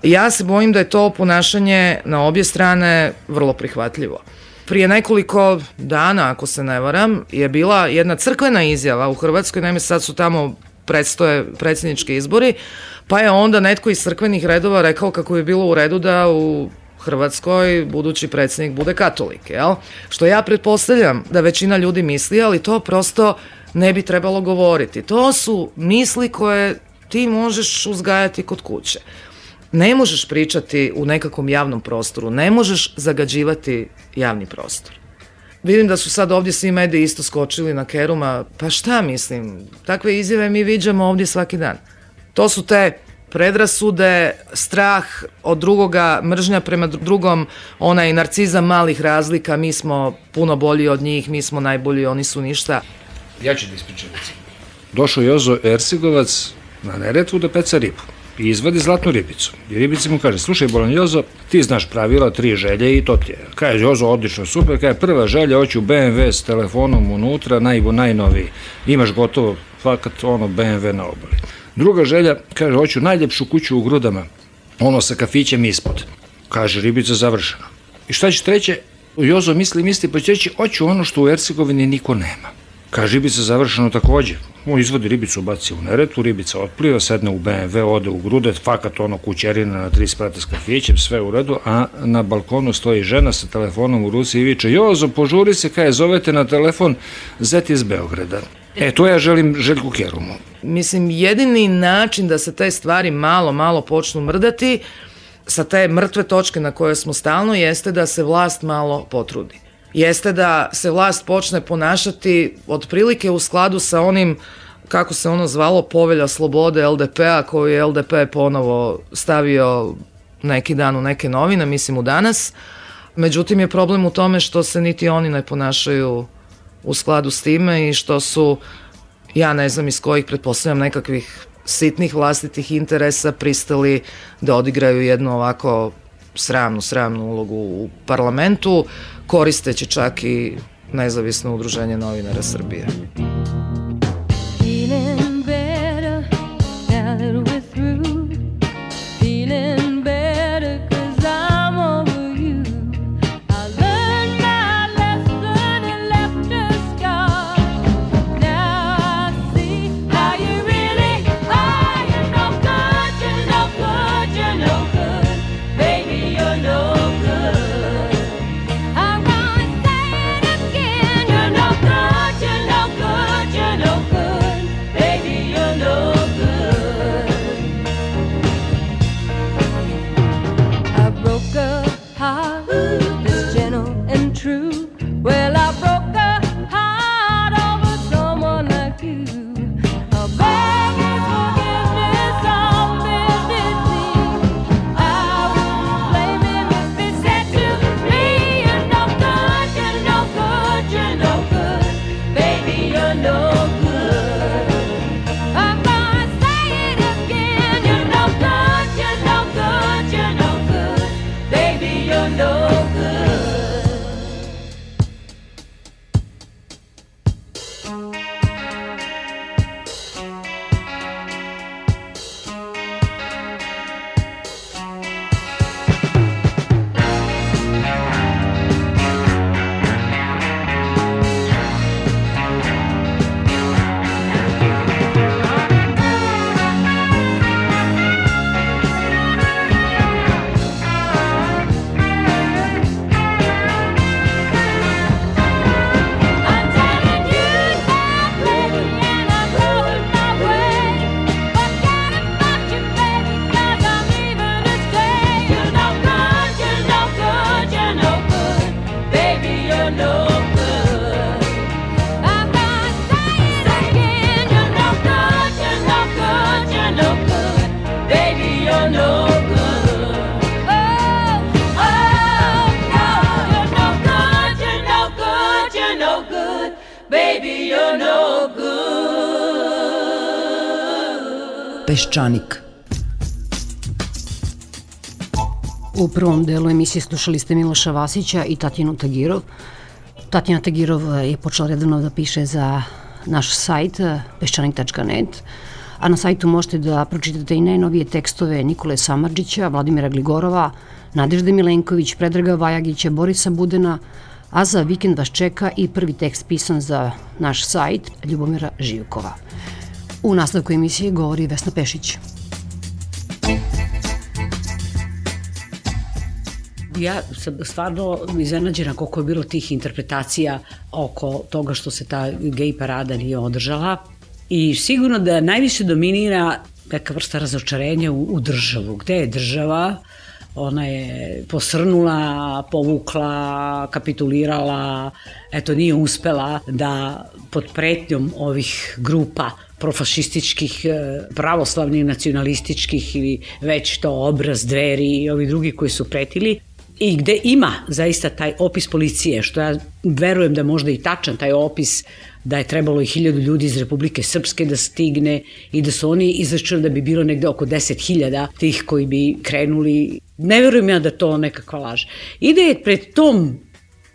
Ja se bojim da je to ponašanje na obje strane vrlo prihvatljivo. Prije nekoliko dana, ako se ne varam, je bila jedna crkvena izjava u Hrvatskoj, naime sad su tamo predstoje predsjednički izbori, pa je onda netko iz crkvenih redova rekao kako bi bilo u redu da u Hrvatskoj budući predsjednik bude katolik, jel? Što ja pretpostavljam da većina ljudi misli, ali to prosto ne bi trebalo govoriti. To su misli koje ti možeš uzgajati kod kuće. Ne možeš pričati u nekakvom javnom prostoru, ne možeš zagađivati javni prostor. Vidim da su sad ovdje svi mediji isto skočili na Keruma, pa šta mislim, takve izjave mi viđamo ovdje svaki dan. To su te predrasude, strah od drugoga, mržnja prema drugom, onaj narcizam malih razlika, mi smo puno bolji od njih, mi smo najbolji, oni su ništa. Ja ću da ispričam. Došao Jozo Ercegovac na Neretvu da peca ribu i izvadi zlatnu ribicu. I ribici mu kaže, slušaj Bolan Jozo, ti znaš pravila, tri želje i to ti je. Kaže Jozo, odlično, super, kaže prva želja, hoću B M W s telefonom unutra, naj, najnoviji. Imaš gotovo, fakat ono B M W na obali. Druga želja, kaže, hoću najljepšu kuću u Grudama, ono sa kafićem ispod. Kaže, ribica završena. I šta će treće? Jozo misli, misli, pa će reći, hoću ono što u Ercegovini niko nema. Kaže, ribica završeno takođe. On izvodi ribicu, baci u Neretvu, ribica otpliva, sedne u B M W, ode u Grude, fakat ono kućerina na tri sprata s kafićem, sve u redu, a na balkonu stoji žena sa telefonom u ruci i viče, Jozo, požuri se, kaj zovete na telefon, zet iz Beograda. E, to ja želim Željku Kerumu. Mislim, jedini način da se te stvari malo, malo počnu mrdati, sa te mrtve točke na koje smo stalno, jeste da se vlast malo potrudi. Jeste da se vlast počne ponašati otprilike u skladu sa onim, kako se ono zvalo, povelja slobode L D P-a, koju je L D P ponovo stavio neki dan u neke novine, mislim u Danas. Međutim, je problem u tome što se niti oni ne ponašaju u skladu s time i što su, ja ne znam iz kojih, pretpostavljam nekakvih sitnih vlastitih interesa, pristali da odigraju jednu ovako sramnu, sramnu ulogu u parlamentu, koristeći čak i nezavisno udruženje novinara Srbije. Peščanik. U prvom delu emisije slušali ste Miloša Vasića i Tatjanu Tagirov. Tatjana Tagirov je počela redovno da piše za naš sajt peščanik tačka net, a na sajtu možete da pročitate i najnovije tekstove Nikole Samardžića, Vladimira Gligorova, Nadežde Milenković, Predraga Vajagića, Borisa Budena, a za vikend vas čeka i prvi tekst pisan za naš sajt Ljubomira Živkova. U nastavku emisije govori Vesna Pešić. Ja sam stvarno iznenađena koliko je bilo tih interpretacija oko toga što se ta gej parada nije održala i sigurno da najviše dominira neka vrsta razočarenja u, u državu. Gde je država? Ona je posrnula, povukla, kapitulirala, eto nije uspela da pod pretnjom ovih grupa profašističkih, pravoslavnih, nacionalističkih ili već to Obraz, Dveri i ovi drugi koji su pretili, i gde ima zaista taj opis policije, što ja verujem da možda i tačan taj opis, da je trebalo i hiljadu ljudi iz Republike Srpske da stigne i da su oni izračunali da bi bilo negde oko deset hiljada tih koji bi krenuli. Ne verujem ja da to nekakva laž. I da je pred tom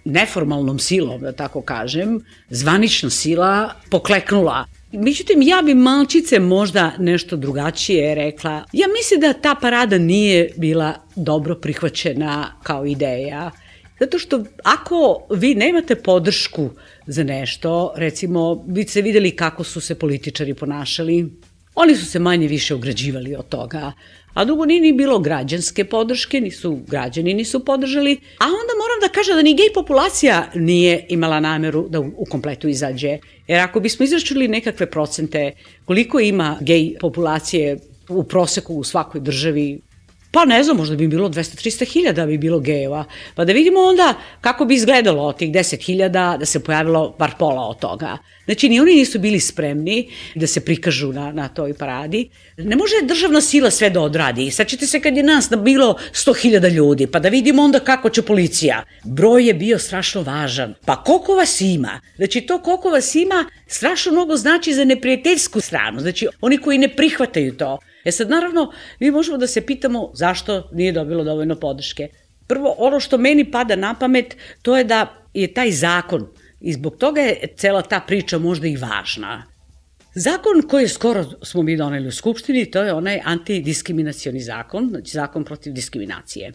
neformalnom silom, da tako kažem, zvanična sila pokleknula. Međutim, ja bi malčice možda nešto drugačije rekla. Ja mislim da ta parada nije bila dobro prihvaćena kao ideja, zato što ako vi nemate podršku za nešto, recimo, vi ste videli kako su se političari ponašali, oni su se manje više ograđivali od toga, a drugo nije ni bilo građanske podrške, nisu građani nisu podržali, a onda moram da kažem da ni gej populacija nije imala nameru da u kompletu izađe. Jer ako bismo izračunali nekakve procente koliko ima gej populacije u proseku u svakoj državi, pa ne znam, možda bi bilo dvesta do trista hiljada bi bilo gejeva, pa da vidimo onda kako bi izgledalo od tih deset hiljada da se pojavilo bar pola od toga. Znači, ni oni nisu bili spremni da se prikažu na, na toj paradi. Ne može državna sila sve da odradi. Sad ćete se kad je nas bilo sto hiljada ljudi, pa da vidimo onda kako će policija. Broj je bio strašno važan. Pa koliko vas ima? Znači, to koliko vas ima strašno mnogo znači za neprijateljsku stranu. Znači, oni koji ne prihvataju to. E sad, naravno, mi možemo da se pitamo zašto nije dobilo dovoljno podrške. Prvo, ono što meni pada na pamet, to je da je taj zakon, i zbog toga je cela ta priča možda i važna. Zakon koji skoro smo mi doneli u Skupštini, to je onaj antidiskriminacioni zakon, znači zakon protiv diskriminacije.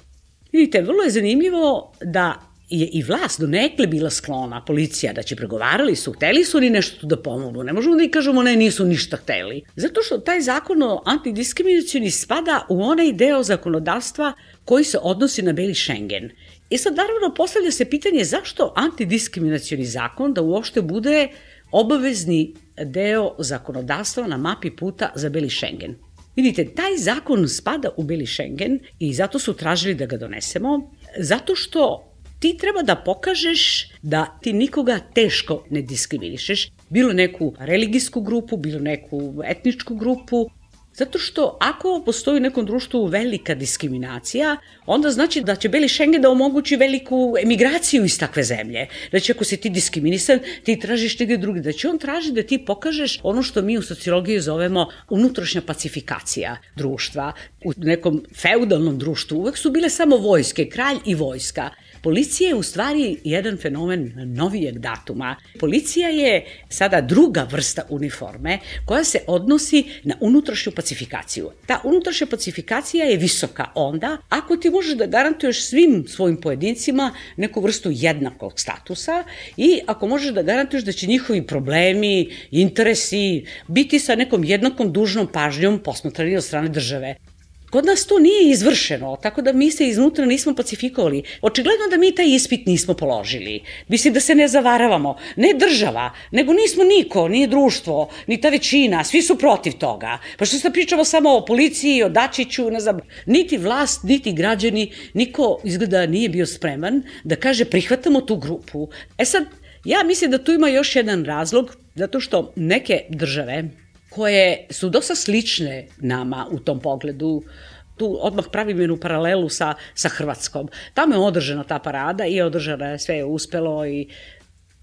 Vidite, vrlo je zanimljivo da je i vlast donekle bila sklona, policija, da će pregovarali su, hteli su oni nešto tu da pomogu, ne možemo da i kažemo ne, nisu ništa hteli. Zato što taj zakon o antidiskriminacioni spada u onaj deo zakonodavstva koji se odnosi na beli Schengen. I sad naravno postavlja se pitanje zašto antidiskriminacioni zakon da uopšte bude obavezni deo zakonodavstva na mapi puta za beli Schengen. Vidite, taj zakon spada u beli Schengen i zato su tražili da ga donesemo, zato što ti treba da pokažeš da ti nikoga teško ne diskriminišeš, bilo neku religijsku grupu, bilo neku etničku grupu, zato što ako postoji u nekom društvu velika diskriminacija, onda znači da će beli Schengen da omogući veliku emigraciju iz takve zemlje. Znači ako si ti diskriminisan, ti tražiš negdje drugi. Znači on traži da ti pokažeš ono što mi u sociologiji zovemo unutrašnja pacifikacija društva. U nekom feudalnom društvu uvek su bile samo vojske, kralj i vojska. Policija je u stvari jedan fenomen novijeg datuma. Policija je sada druga vrsta uniforme koja se odnosi na unutrašnju pacifikaciju. Ta unutrašnja pacifikacija je visoka onda ako ti možeš da garantuješ svim svojim pojedincima neku vrstu jednakog statusa i ako možeš da garantuješ da će njihovi problemi, interesi biti sa nekom jednakom dužnom pažnjom posmatrani od strane države. Kod nas to nije izvršeno, tako da mi se iznutra nismo pacifikovali. Očigledno da mi taj ispit nismo položili. Mislim da se ne zavaravamo. Ne država, nego nismo niko, nije društvo, ni ta većina, svi su protiv toga. Pa što se pričamo samo o policiji, o Dačiću, ne znam, niti vlast, niti građani, niko izgleda nije bio spreman da kaže prihvatamo tu grupu. E sad, ja mislim da tu ima još jedan razlog, zato što neke države koje su dosta slične nama u tom pogledu, tu odmah pravim jednu paralelu sa, sa Hrvatskom. Tamo je održana ta parada i održana je, sve je uspelo. I...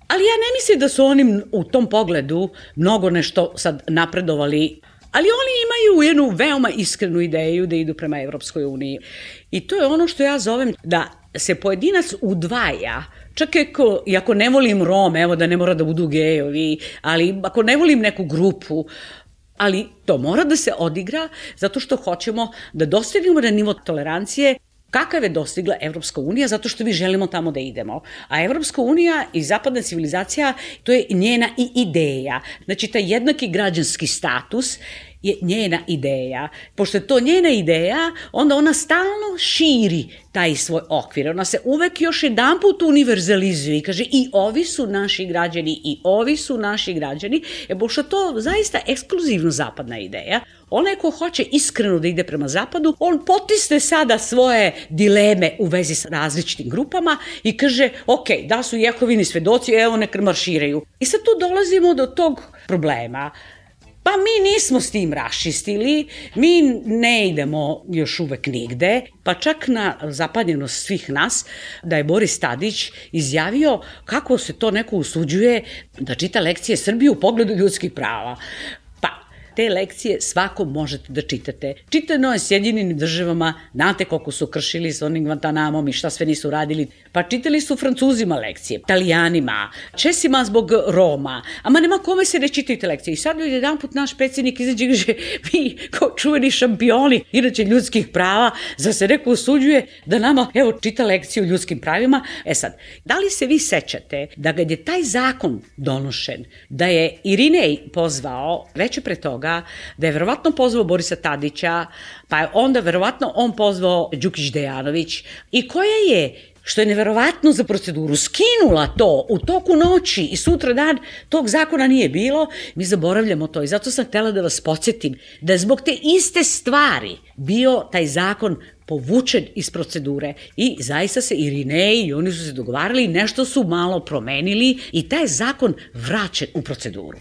Ali ja ne mislim da su oni u tom pogledu mnogo nešto sad napredovali, ali oni imaju jednu veoma iskrenu ideju da idu prema Evropskoj uniji. I to je ono što ja zovem da se pojedinac udvaja, čak ako, i ako ne volim Rome, evo da ne mora da budu gejovi, ali ako ne volim neku grupu, ali to mora da se odigra zato što hoćemo da dostignemo na nivo tolerancije Kakav je dostigla Evropska unija, zato što mi želimo tamo da idemo. A Evropska unija i zapadna civilizacija, to je njena i ideja. Znači, taj jednaki građanski status je njena ideja. Pošto je to njena ideja, onda ona stalno širi taj svoj okvir. Ona se uvek još jedan put univerzalizuje i kaže i ovi su naši građani, i ovi su naši građani, e, pošto to zaista ekskluzivno zapadna ideja. Onaj ko hoće iskreno da ide prema zapadu, on potisne sada svoje dileme u vezi sa različitim grupama i kaže, ok, da su Jehovini svedoci, evo nek marširaju. I sad tu dolazimo do tog problema. Pa mi nismo s tim raščistili, mi ne idemo još uvek nigde, pa čak na zapanjenost svih nas da je Boris Tadić izjavio kako se to neko usuđuje da čita lekcije Srbije u pogledu ljudskih prava. Te lekcije svako možete da čitate. Čitano je Sjedinjenim državama, znate koliko su kršili s onim Guantanamom i šta sve nisu radili. Pa čitali su Francuzima lekcije, Italijanima, Česima zbog Roma. Ama nema kome se ne čitaju te lekcije. I sad je jedan put naš predsjednik izađe i kaže, vi kao čuveni šampioni, inače ljudskih prava, za se neko usuđuje da nama, evo, čita lekciju o ljudskim pravima. E sad, da li se vi sećate da kad je taj zakon donošen, da je Irinej pozvao, veće pre toga, da je verovatno pozvao Borisa Tadića, pa je onda verovatno on pozvao Đukić Dejanović i koja je, što je neverovatno za proceduru, skinula to u toku noći i sutra dan tog zakona nije bilo, mi zaboravljamo to i zato sam htela da vas podsjetim da je zbog te iste stvari bio taj zakon povučen iz procedure i zaista se Irinej i oni su se dogovarali, nešto su malo promenili i taj zakon vraćen u proceduru.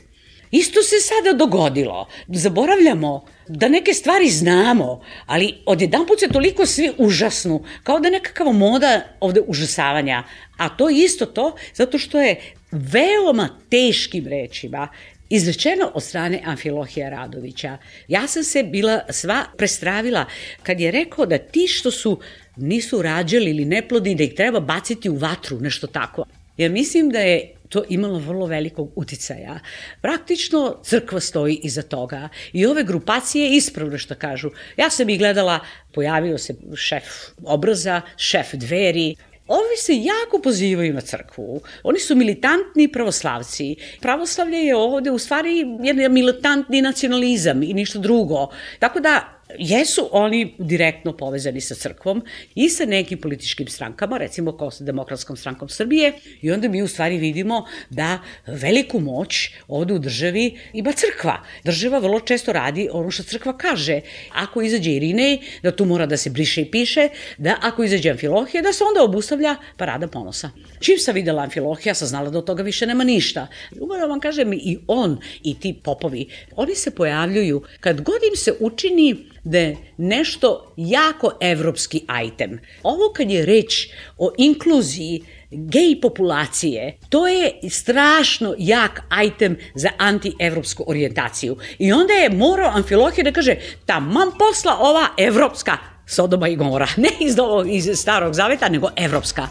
Isto se sada dogodilo. Zaboravljamo da neke stvari znamo, ali odjedanput se toliko svi užasnu, kao da je nekakva moda ovde užasavanja. A to je isto to, zato što je veoma teškim rečima izrečeno od strane Amfilohija Radovića. Ja sam se bila sva prestravila kad je rekao da ti što su nisu rađali ili neplodni, da ih treba baciti u vatru, nešto tako. Ja mislim da je to imalo vrlo velikog uticaja. Praktično crkva stoji iza toga i ove grupacije ispravno što kažu. Ja sam ih gledala, pojavio se šef Obraza, šef Dveri. Ovi se jako pozivaju na crkvu. Oni su militantni pravoslavci. Pravoslavlje je ovde u stvari jedan militantni nacionalizam i ništa drugo. Tako da jesu oni direktno povezani sa crkvom i sa nekim političkim strankama, recimo kao sa Demokratskom strankom Srbije, i onda mi u stvari vidimo da veliku moć ovde u državi ima crkva. Država vrlo često radi ono što crkva kaže. Ako izađe Irinej, da tu mora da se briše i piše, da ako izađe Amfilohija, da se onda obustavlja parada ponosa. Čim sam videla Amfilohija, sam znala da od toga više nema ništa. Upravo vam kažem, i on i ti popovi, oni se pojavljuju kad god im se učini da je nešto jako evropski item. Ovo kad je reč o inkluziji gej populacije, to je strašno jak item za anti-evropsku orijentaciju. I onda je morao Amfilohije da kaže, taman posla ova evropska Sodoma i Gomora. Ne iz, ovog, iz Starog Zaveta, nego evropska.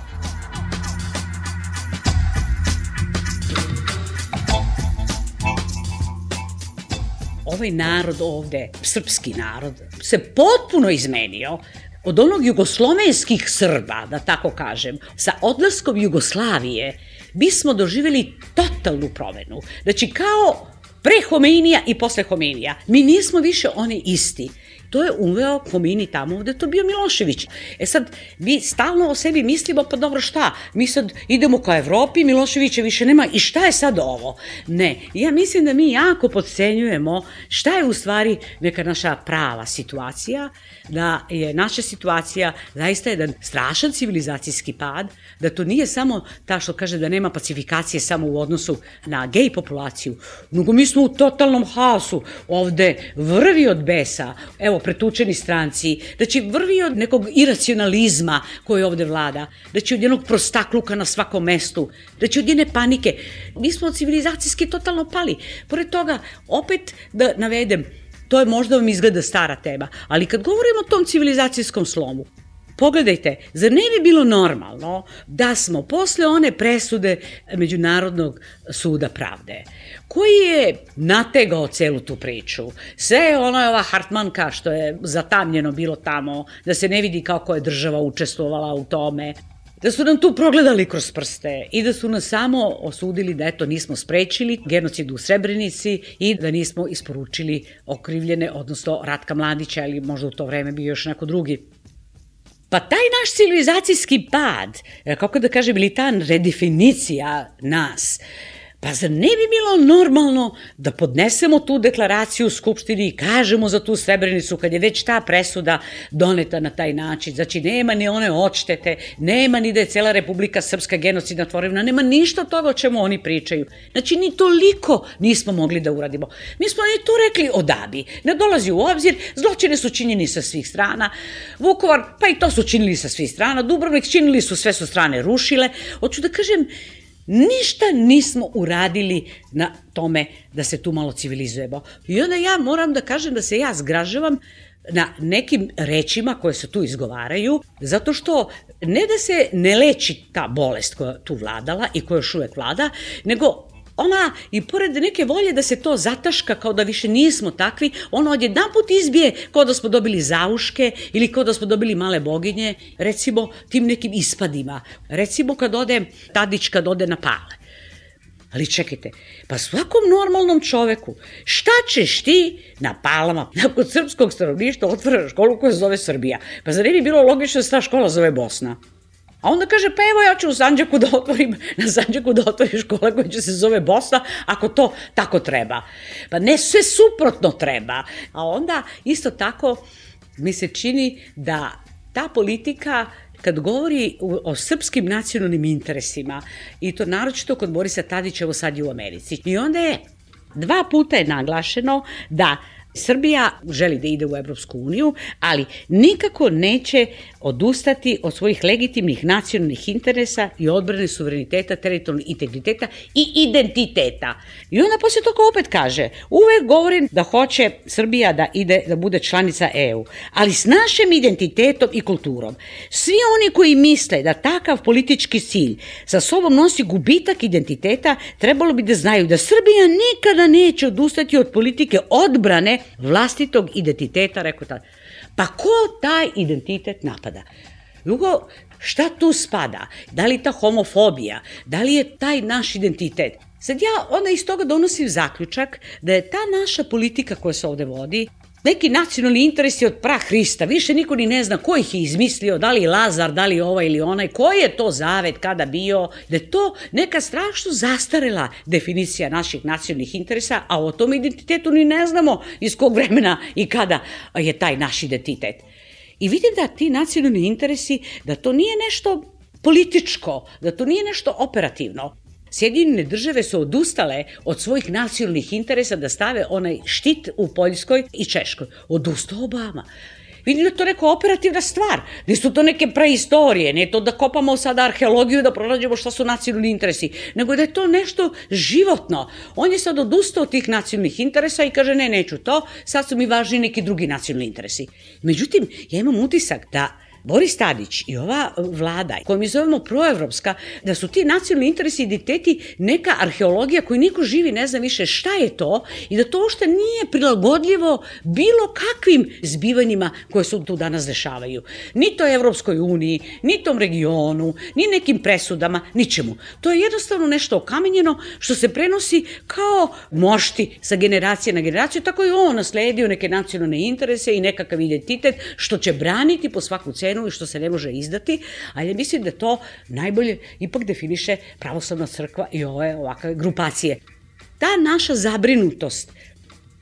Ovaj narod ovde, srpski narod, se potpuno izmenio od onog jugoslovenskih Srba, da tako kažem. Sa odlaskom Jugoslavije bismo doživjeli totalnu promenu. Znači kao pre Homeinija i posle Homeinija. Mi nismo više oni isti. To je uveo Homeini tamo gde je to bio Milošević. E sad, mi stalno o sebi mislimo, pa dobro šta, mi sad idemo ka Evropi, Miloševića više nema i šta je sad ovo? Ne, ja mislim da mi jako podcenjujemo šta je u stvari neka naša prava situacija, da je naša situacija zaista jedan strašan civilizacijski pad, da to nije samo ta što kaže da nema pacifikacije samo u odnosu na gej populaciju, nego mi smo u totalnom haosu, ovde vrvi od besa, evo, pretučeni stranci, da će vrvi od nekog iracionalizma koji ovde vlada, da će od jednog prostakluka na svakom mestu, da će od jedne panike. Mi smo civilizacijski totalno pali. Pored toga, opet da navedem, to je možda vam izgleda stara tema, ali kad govorimo o tom civilizacijskom slomu, Pogledajte, zar ne bi bilo normalno da smo posle one presude Međunarodnog suda pravde, koji je nategao celu tu priču, sve ono je ova Hartmanka što je zatamnjeno bilo tamo, da se ne vidi kako je država učestvovala u tome, da su nam tu progledali kroz prste i da su nas samo osudili da eto nismo sprečili genocid u Srebrenici i da nismo isporučili okrivljene, odnosno Ratka Mladića, ili možda u to vreme bio još neko drugi. Pa taj naš civilizacijski pad, kako da kažem, ili ta redefinicija nas, pa zar ne bi bilo normalno da podnesemo tu deklaraciju u Skupštini i kažemo za tu Srebrenicu kad je već ta presuda doneta na taj način. Znači, nema ni one odštete, nema ni da je cela Republika Srpska genocidna tvorevina, nema ništa toga o čemu oni pričaju. Znači, ni toliko nismo mogli da uradimo. Mi smo ni to rekli odabi, ne dolazi u obzir, zločine su činjeni sa svih strana, Vukovar, pa i to su činili sa svih strana, Dubrovnik činili su, sve su strane rušile. Hoću da kažem, ništa nismo uradili na tome da se tu malo civilizujemo. I onda ja moram da kažem da se ja zgražavam na nekim rečima koje se tu izgovaraju, zato što ne da se ne leči ta bolest koja tu vladala i koja još uvek vlada, nego ona, i pored neke volje da se to zataška kao da više nismo takvi, ona odjedanput izbije kao da smo dobili zauške ili kao da smo dobili male boginje, recimo tim nekim ispadima. Recimo kad ode Tadić, kad ode na Pale. Ali čekajte, pa svakom normalnom čoveku, šta ćeš ti na Palama, nakon srpskog stanovništva otvara školu koja se zove Srbija? Pa zar ne bi bilo logično da se ta škola zove Bosna? A onda kaže, pa evo ja ću u Sandžaku da otvorim, na Sandžaku da otvorim škola koja će se zove Bosna, ako to tako treba. Pa ne, sve suprotno treba. A onda isto tako mi se čini da ta politika, kad govori o srpskim nacionalnim interesima, i to naročito kod Borisa Tadića, evo sad je u Americi, i onda je dva puta je naglašeno da Srbija želi da ide u Evropsku uniju, ali nikako neće odustati od svojih legitimnih nacionalnih interesa i odbrane suvereniteta, teritorijalnog integriteta i identiteta. I onda posle toga opet kaže, uvek govorim da hoće Srbija da ide, da bude članica E U, ali s našim identitetom i kulturom. Svi oni koji misle da takav politički cilj sa sobom nosi gubitak identiteta, trebalo bi da znaju da Srbija nikada neće odustati od politike odbrane vlastitog identiteta, rekao tada. Pa ko taj identitet napada? Drugo, šta tu spada? Da li ta homofobija? Da li je taj naš identitet? Sad ja onda iz toga donosim zaključak da je ta naša politika koja se ovde vodi neki nacionalni interes je od prah Hrista, više niko ni ne zna ko ih je izmislio, da li Lazar, da li ovaj ili onaj, koji je to zavet, kada bio, da je to neka strašno zastarela definicija naših nacionalnih interesa, a o tom identitetu ni ne znamo iz kog vremena i kada je taj naš identitet. I vidim da ti nacionalni interesi, da to nije nešto političko, da to nije nešto operativno. Sjedinjene države su odustale od svojih nacionalnih interesa da stave onaj štit u Poljskoj i Češkoj. Odustao Obama. Vidim da je to neka operativna stvar. Nisu to neke preistorije, nije to da kopamo sada arheologiju da pronađemo šta su nacionalni interesi, nego da je to nešto životno. On je sad odustao od tih nacionalnih interesa i kaže ne, neću to, sad su mi važni neki drugi nacionalni interesi. Međutim, ja imam utisak da Boris Tadić i ova vlada, koju mi zovemo proevropska, da su ti nacionalni interesi i identiteti neka arheologija koju niko živi ne zna više šta je to i da to uopšte nije prilagodljivo bilo kakvim zbivanjima koje se tu danas dešavaju. Ni to Evropskoj uniji, ni tom regionu, ni nekim presudama, ničemu. To je jednostavno nešto okamenjeno što se prenosi kao mošti sa generacije na generaciju, tako je on nasledio neke nacionalne interese i nekakav identitet što će braniti po svaku cenu i što se ne može izdati, ali mislim da to najbolje ipak definiše pravoslavna crkva i ove ovakve grupacije. Ta naša zabrinutost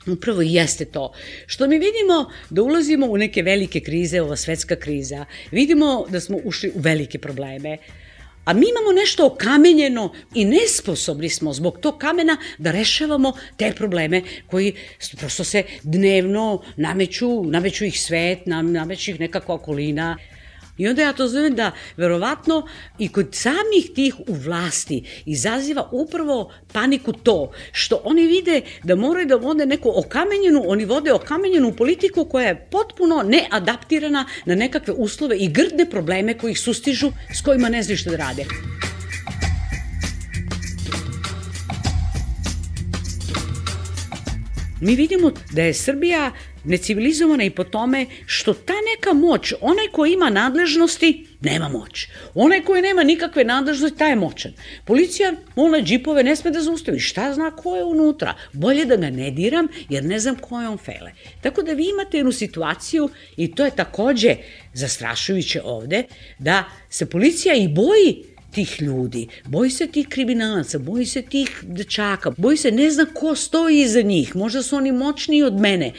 upravo jeste to što mi vidimo da ulazimo u neke velike krize, ova svetska kriza, vidimo da smo ušli u velike probleme, a mi imamo nešto okamenjeno i nesposobni smo zbog tog kamena da rešavamo te probleme koji prosto se dnevno nameću, nameću ih svet, nameću ih nekakva okolina. I onda ja to zovem da verovatno i kod samih tih u vlasti izaziva upravo paniku to što oni vide da moraju da vode neku okamenjenu, oni vode okamenjenu politiku koja je potpuno neadaptirana na nekakve uslove i grdne probleme koji ih sustižu, s kojima ne znaju što da rade. Mi vidimo da je Srbija necivilizovana i po tome što ta neka moć, onaj ko ima nadležnosti, nema moć. Onaj koji nema nikakve nadležnosti, taj je moćan. Policija, one džipove ne sme da zaustavi. Šta zna ko je unutra? Bolje da ga ne diram, jer ne znam ko je on fele. Tako da vi imate jednu situaciju, i to je takođe zastrašujuće ovde, da se policija i boji tih ljudi, boji se tih kriminalaca, boji se tih dečaka, boji se, ne zna ko stoji iza njih, možda su oni moćniji od mene.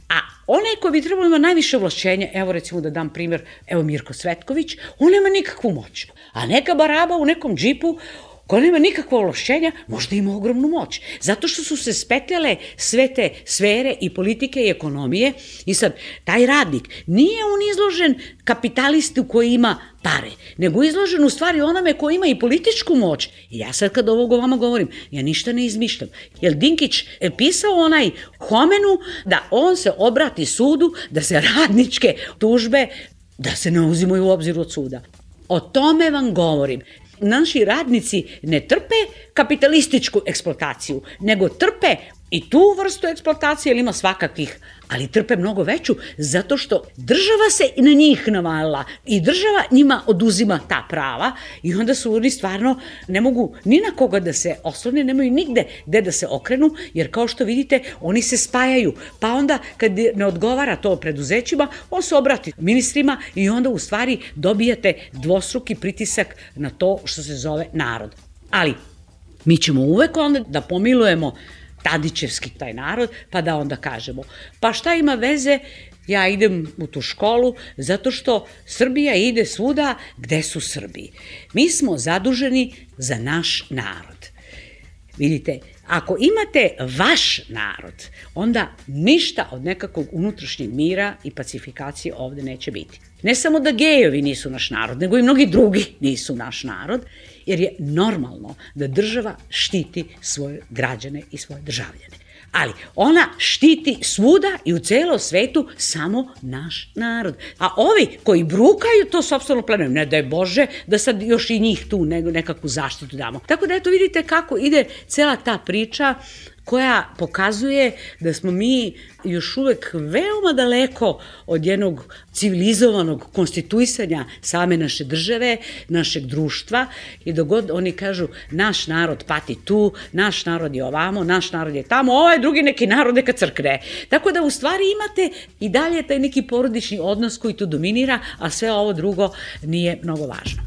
A onaj ko bi trebalo ima najviše ovlašćenja, evo recimo da dam primjer, evo Mirko Cvetković, on nema nikakvu moć. A neka baraba u nekom džipu koja nema nikakva ovlašćenja, možda ima ogromnu moć. Zato što su se spetljale sve te sfere i politike i ekonomije i sad, taj radnik, nije on izložen kapitalistu koji ima pare, nego izložen u stvari onome koji ima i političku moć. I ja sad kad ovo vama govorim, ja ništa ne izmišljam. Jer Dinkić je pisao onaj Homenu da on se obrati sudu, da se radničke tužbe, da se ne uzimaju u obzir od suda. O tome vam govorim. Naši radnici ne trpe kapitalističku eksploataciju, nego trpe i tu vrstu eksploatacije, jer ima svakakvih, ali trpe mnogo veću, zato što država se na njih navalila i država njima oduzima ta prava i onda su oni stvarno ne mogu ni na koga da se oslone, nemaju nigde gde da se okrenu, jer kao što vidite, oni se spajaju, pa onda kad ne odgovara to preduzećima, on se obrati ministrima i onda u stvari dobijate dvostruki pritisak na to što se zove narod. Ali mi ćemo uvek onda da pomilujemo Tadićevski taj narod, pa da onda kažemo, pa šta ima veze, ja idem u tu školu zato što Srbija ide svuda gde su Srbi. Mi smo zaduženi za naš narod. Vidite, ako imate vaš narod, onda ništa od nekakvog unutrašnjeg mira i pacifikacije ovde neće biti. Ne samo da gejevi nisu naš narod, nego i mnogi drugi nisu naš narod, jer je normalno da država štiti svoje građane i svoje državljane. Ali ona štiti svuda i u celom svetu samo naš narod. A ovi koji brukaju to sopstveno pleme, ne daj Bože da sad još i njih tu nekakvu zaštitu damo. Tako da eto vidite kako ide cela ta priča koja pokazuje da smo mi još uvek veoma daleko od jednog civilizovanog konstituisanja same naše države, našeg društva i dok god oni kažu naš narod pati tu, naš narod je ovamo, naš narod je tamo, ovaj drugi neki narod neka crkne. Tako da u stvari imate i dalje taj neki porodični odnos koji tu dominira, a sve ovo drugo nije mnogo važno.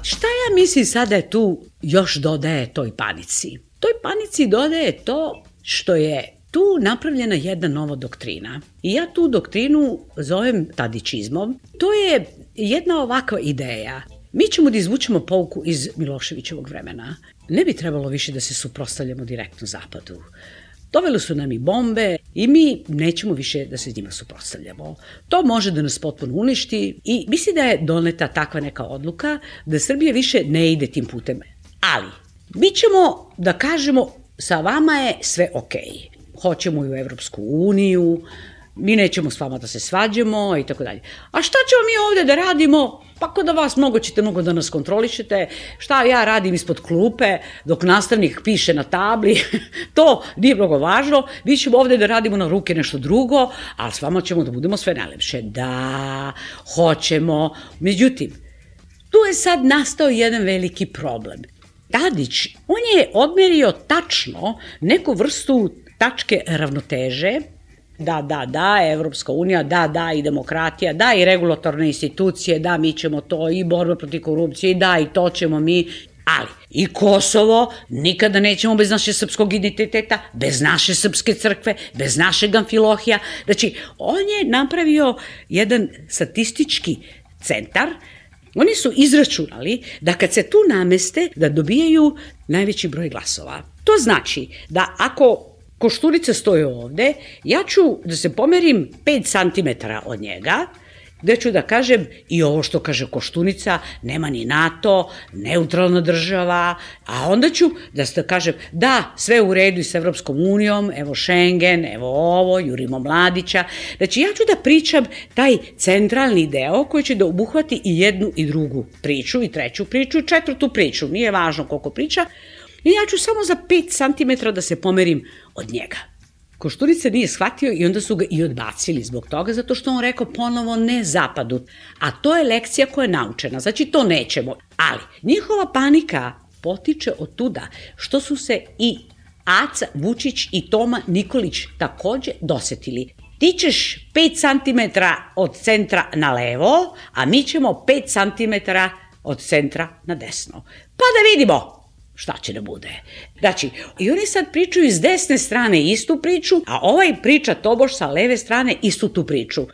Šta ja mislim sada je tu još dodaje toj panici? Toj panici dodaje to što je tu napravljena jedna nova doktrina. I ja tu doktrinu zovem tadićizmom. To je jedna ovakva ideja. Mi ćemo da izvučemo pouku iz Miloševićevog vremena. Ne bi trebalo više da se suprotstavljamo direktno Zapadu. Doveli su nam i bombe i mi nećemo više da se njima suprotstavljamo. To može da nas potpuno uništi i mislim da je doneta takva neka odluka da Srbija više ne ide tim putem. Ali, mi ćemo da kažemo sa vama je sve okej. Hoćemo i u Evropsku uniju, mi nećemo s vama da se svađamo i tako dalje. A šta ćemo mi ovde da radimo? Pa kod vas mnogo ćete mnogo da nas kontrolišete, šta ja radim ispod klupe dok nastavnik piše na tabli, to nije mnogo važno, mi ćemo ovde da radimo na ruke nešto drugo, ali s vama ćemo da budemo sve najlepše. Da, hoćemo. Međutim, tu je sad nastao jedan veliki problem. Tadić, on je odmerio tačno neku vrstu tačke ravnoteže, da, da, da, Evropska unija, da, da, i demokratija, da, i regulatorne institucije, da, mi ćemo to, i borba protiv korupcije, da, i to ćemo mi, ali i Kosovo nikada nećemo bez naše srpskog identiteta, bez naše srpske crkve, bez našeg Amfilohija. Znači, on je napravio jedan statistički centar. Oni su izračunali da kad se tu nameste, da dobijaju najveći broj glasova. To znači da ako Koštunica stoji ovde, ja ću da se pomerim pet santimetara od njega, gde ću da kažem i ovo što kaže Koštunica, nema ni NATO, neutralna država, a onda ću da se kažem da, sve u redu i s Evropskom unijom, evo Schengen, evo ovo, jurimo Mladića. Znači ja ću da pričam taj centralni deo koji će da obuhvati i jednu i drugu priču, i treću priču, i četvrtu priču, nije važno koliko priča, i ja ću samo za pet santimetara da se pomerim od njega. Koštunica nije shvatio i onda su ga i odbacili zbog toga, zato što on rekao ponovo ne zapadu. A to je lekcija koja je naučena, znači to nećemo. Ali njihova panika potiče od tuda što su se i Aca Vučić i Toma Nikolić takođe dosetili. Ti ćeš pet santimetara od centra na levo, a mi ćemo pet santimetara od centra na desno. Pa da vidimo šta će da bude. Znači, i oni sad pričaju iz desne strane istu priču, a ovaj priča tobož sa leve strane istu tu priču.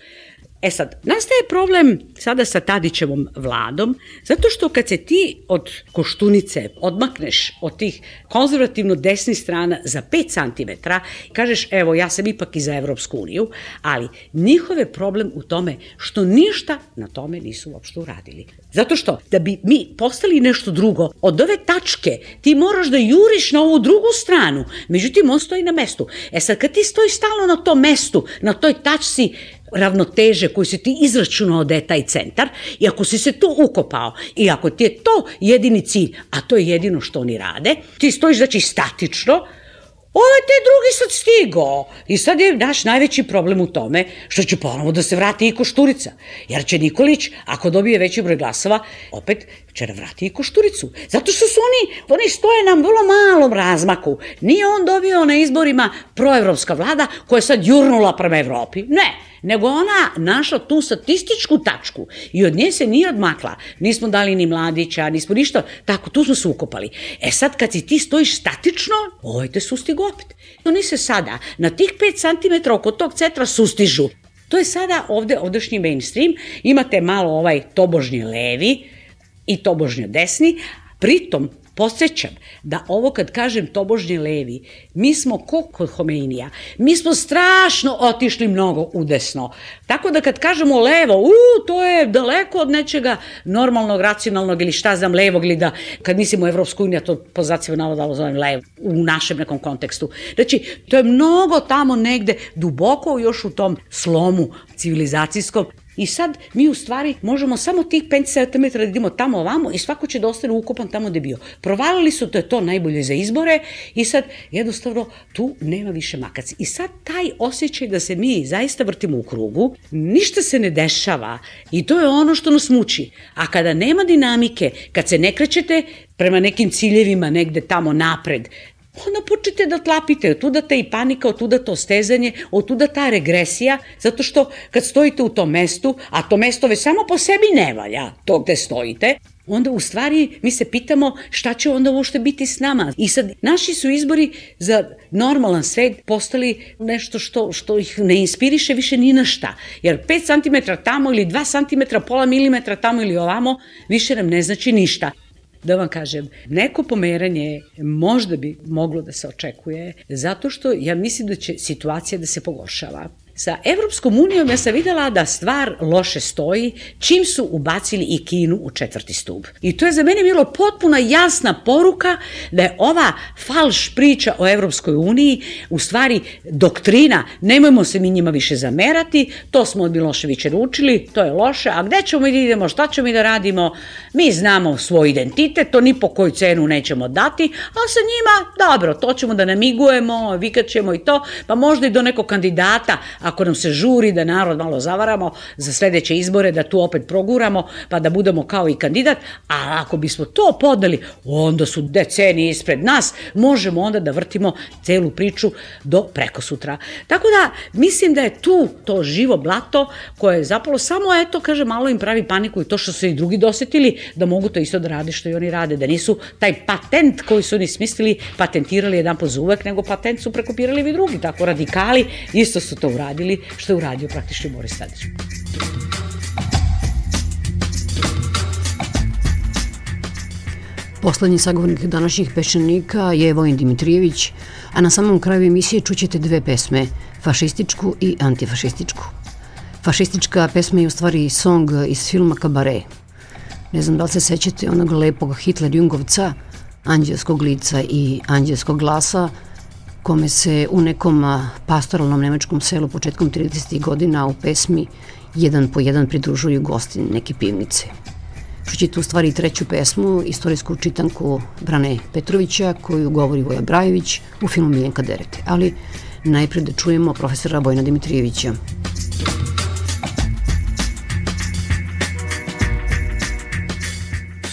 E sad, nastaje problem sada sa Tadićevom vladom, zato što kad se ti od Koštunice odmakneš od tih konzervativno desnih strana za pet santimetara, kažeš evo ja sam ipak i za Evropsku uniju, ali njihov je problem u tome što ništa na tome nisu uopšte uradili. Zato što da bi mi postali nešto drugo, od ove tačke ti moraš da juriš na ovu drugu stranu, međutim on stoji na mestu. E sad kad ti stojiš stalno na tom mestu, na toj tačci ravnoteže koju si ti izračunao da je taj centar i ako si se tu ukopao i ako ti je to jedini cilj, a to je jedino što oni rade, ti stojiš znači statično, ovo je te drugi sad stigao i sad je naš najveći problem u tome što će ponovo da se vrati i Košturica, jer će Nikolić, ako dobije veći broj glasova, opet će da vrati i Košturicu. Zato što su oni, oni stoje na vrlo malom razmaku. Nije on dobio na izborima proevropska vlada koja je sad jurnula prema Evropi. Ne, nego ona našla tu statističku tačku i od nje se nije odmakla. Nismo dali ni Mladića, nismo ništa, tako, tu smo se ukopali. E sad kad si ti stojiš statično, ovaj te sustigu opet. Oni se sada na tih pet santimetara oko tog centra sustižu. To je sada ovde, ovdašnji mainstream, imate malo ovaj tobožnji levi i tobožnji desni, pritom podsjećam da ovo kad kažem tobožnji levi, mi smo ko kod Homeinija, mi smo strašno otišli mnogo u desno. Tako da kad kažemo levo, u, to je daleko od nečega normalnog, racionalnog ili šta znam, levog ili da, kad mislimo u Evropsku uniju, to po zacima navodalo zovem levo u našem nekom kontekstu. Znači, to je mnogo tamo negde duboko još u tom slomu civilizacijskom. I sad mi u stvari možemo samo tih pet santimetara da idemo tamo ovamo i svako će da ostane ukopan tamo gde je bio. Provalili su, to je to najbolje za izbore i sad jednostavno tu nema više makac. I sad taj osjećaj da se mi zaista vrtimo u krugu, ništa se ne dešava i to je ono što nas muči. A kada nema dinamike, kad se ne krećete prema nekim ciljevima negde tamo napred, onda počnete da tlapite, otuda ta i panika, otuda to stezanje, otuda ta regresija, zato što kad stojite u tom mestu, a to mesto već samo po sebi ne valja, to gde stojite, onda u stvari mi se pitamo šta će onda uopšte biti s nama. I sad naši su izbori za normalan svet postali nešto što, što ih ne inspiriše više ni na šta. Jer pet santimetara tamo ili dva santimetra, pola milimetra tamo ili ovamo, više nam ne znači ništa. Da vam kažem, neko pomeranje možda bi moglo da se očekuje, zato što ja mislim da će situacija da se pogoršava. Sa Evropskom unijom ja sam videla da stvar loše stoji čim su ubacili i Kinu u četvrti stub. I to je za mene bilo potpuna jasna poruka da je ova falš priča o Evropskoj uniji u stvari doktrina, nemojmo se mi njima više zamerati, to smo od Miloševića naučili, to je loše, a gde ćemo mi da idemo, šta ćemo mi da radimo, mi znamo svoj identitet, to ni po koju cenu nećemo dati, a sa njima, dobro, to ćemo da namigujemo, vikaćemo i to, pa možda i do nekog kandidata, ako nam se žuri da narod malo zavaramo za sledeće izbore, da tu opet proguramo, pa da budemo kao i kandidat, a ako bismo to podneli, onda su decenije ispred nas, možemo onda da vrtimo celu priču do prekosutra. Tako da, mislim da je tu to živo blato koje je zapravo samo, eto, kaže, malo im pravi paniku i to što su i drugi dosetili, da mogu to isto da rade što i oni rade, da nisu taj patent koji su oni smislili, patentirali jedan po uvek, nego patent su prekopirali i drugi, tako radikali, isto su to uradili. Što je uradio praktično Boris Tadić. Poslednji sagovornik današnjih Peščanika je Vojin Dimitrijević, a na samom kraju emisije čućete dve pesme, fašističku i antifašističku. Fašistička pesma je u stvari song iz filma Kabare. Ne znam da li se sećate onog lepog Hitler-Jungovca, anđelskog lica i anđelskog glasa, kome se u nekom pastoralnom nemačkom selu početkom tridesetih godina u pesmi jedan po jedan pridružuju gosti neke pivnice. Čućete u stvari treću pesmu, istorijsku čitanku Brane Petrovića, koju govori Voja Brajević u filmu Miljenka Derete. Ali najpre da čujemo profesora Vojina Dimitrijevića.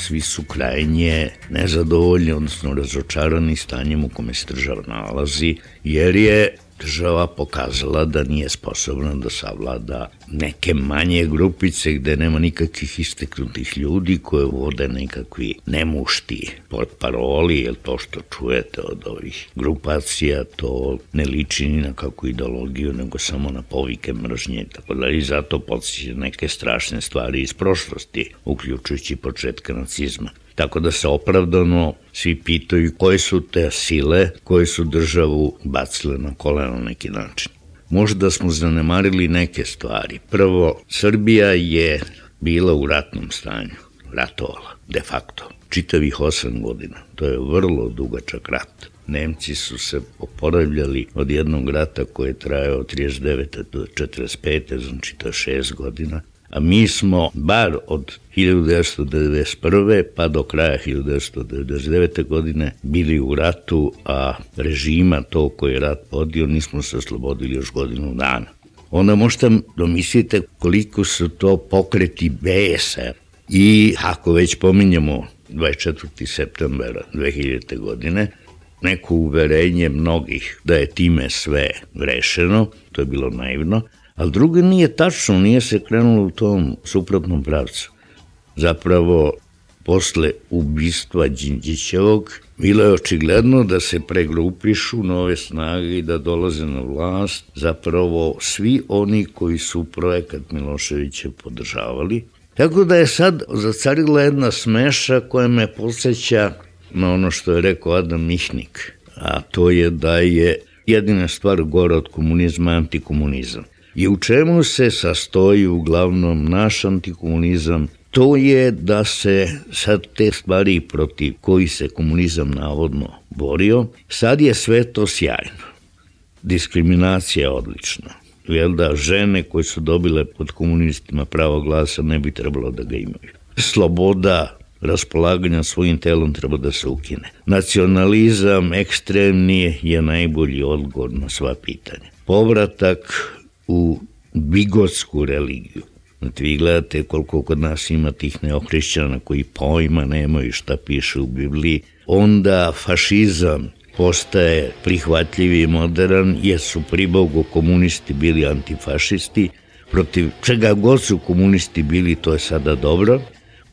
Svi su krajnje nezadovoljni, odnosno razočarani stanjem u kome se država nalazi, jer je država pokazala da nije sposobna da savlada neke manje grupice gde nema nikakvih isteknutih ljudi koje vode nekakvi nemušti portparoli, jer to što čujete od ovih grupacija to ne liči ni na kakvu ideologiju, nego samo na povike mržnje. Tako da i zato podsjeća neke strašne stvari iz prošlosti, uključujući početka nacizma. Tako da se opravdano svi pitaju koje su te sile koje su državu bacile na koleno na neki način. Možda smo zanemarili neke stvari. Prvo, Srbija je bila u ratnom stanju, ratovala, de facto, čitavih osam godina. To je vrlo dugačak rat. Nemci su se oporavljali od jednog rata koji je trajao od trideset devete do četrdeset pete, znači to je šest godina. A mi smo bar od hiljadu devetsto devedeset prve pa do kraja hiljadu devetsto devedeset devete godine bili u ratu, a režima to koji je rat podio nismo se oslobodili još godinu dana. Onda možete domislite koliko su to pokreti besa. I ako već pominjamo dvadeset četvrtog septembra dve hiljadite. godine, neko uverenje mnogih da je time sve rešeno, to je bilo naivno, ali drugo nije tačno, nije se krenulo u tom suprotnom pravcu. Zapravo, posle ubistva Đinđićevog, bilo je očigledno da se pregrupišu nove snage i da dolaze na vlast zapravo svi oni koji su projekat Miloševića podržavali. Tako da je sad zacarila jedna smeša koja me podsjeća na ono što je rekao Adam Mihnik, a to je da je jedina stvar gore od komunizma antikomunizam. I u čemu se sastoji uglavnom naš antikomunizam? To je da se sad te stvari protiv koji se komunizam navodno borio, sad je sve to sjajno. Diskriminacija je odlična. Jel da žene koje su dobile pod komunistima pravo glasa ne bi trebalo da ga imaju. Sloboda raspolaganja svojim telom treba da se ukine. Nacionalizam ekstremni je najbolji odgovor na sva pitanja. Povratak u bigotsku religiju. Znači, vi gledate koliko kod nas ima tih neohrišćana koji pojma nemaju šta piše u Bibliji, onda fašizam postaje prihvatljiv i modern, jer su pribogu komunisti bili antifašisti, protiv čega god su komunisti bili, to je sada dobro.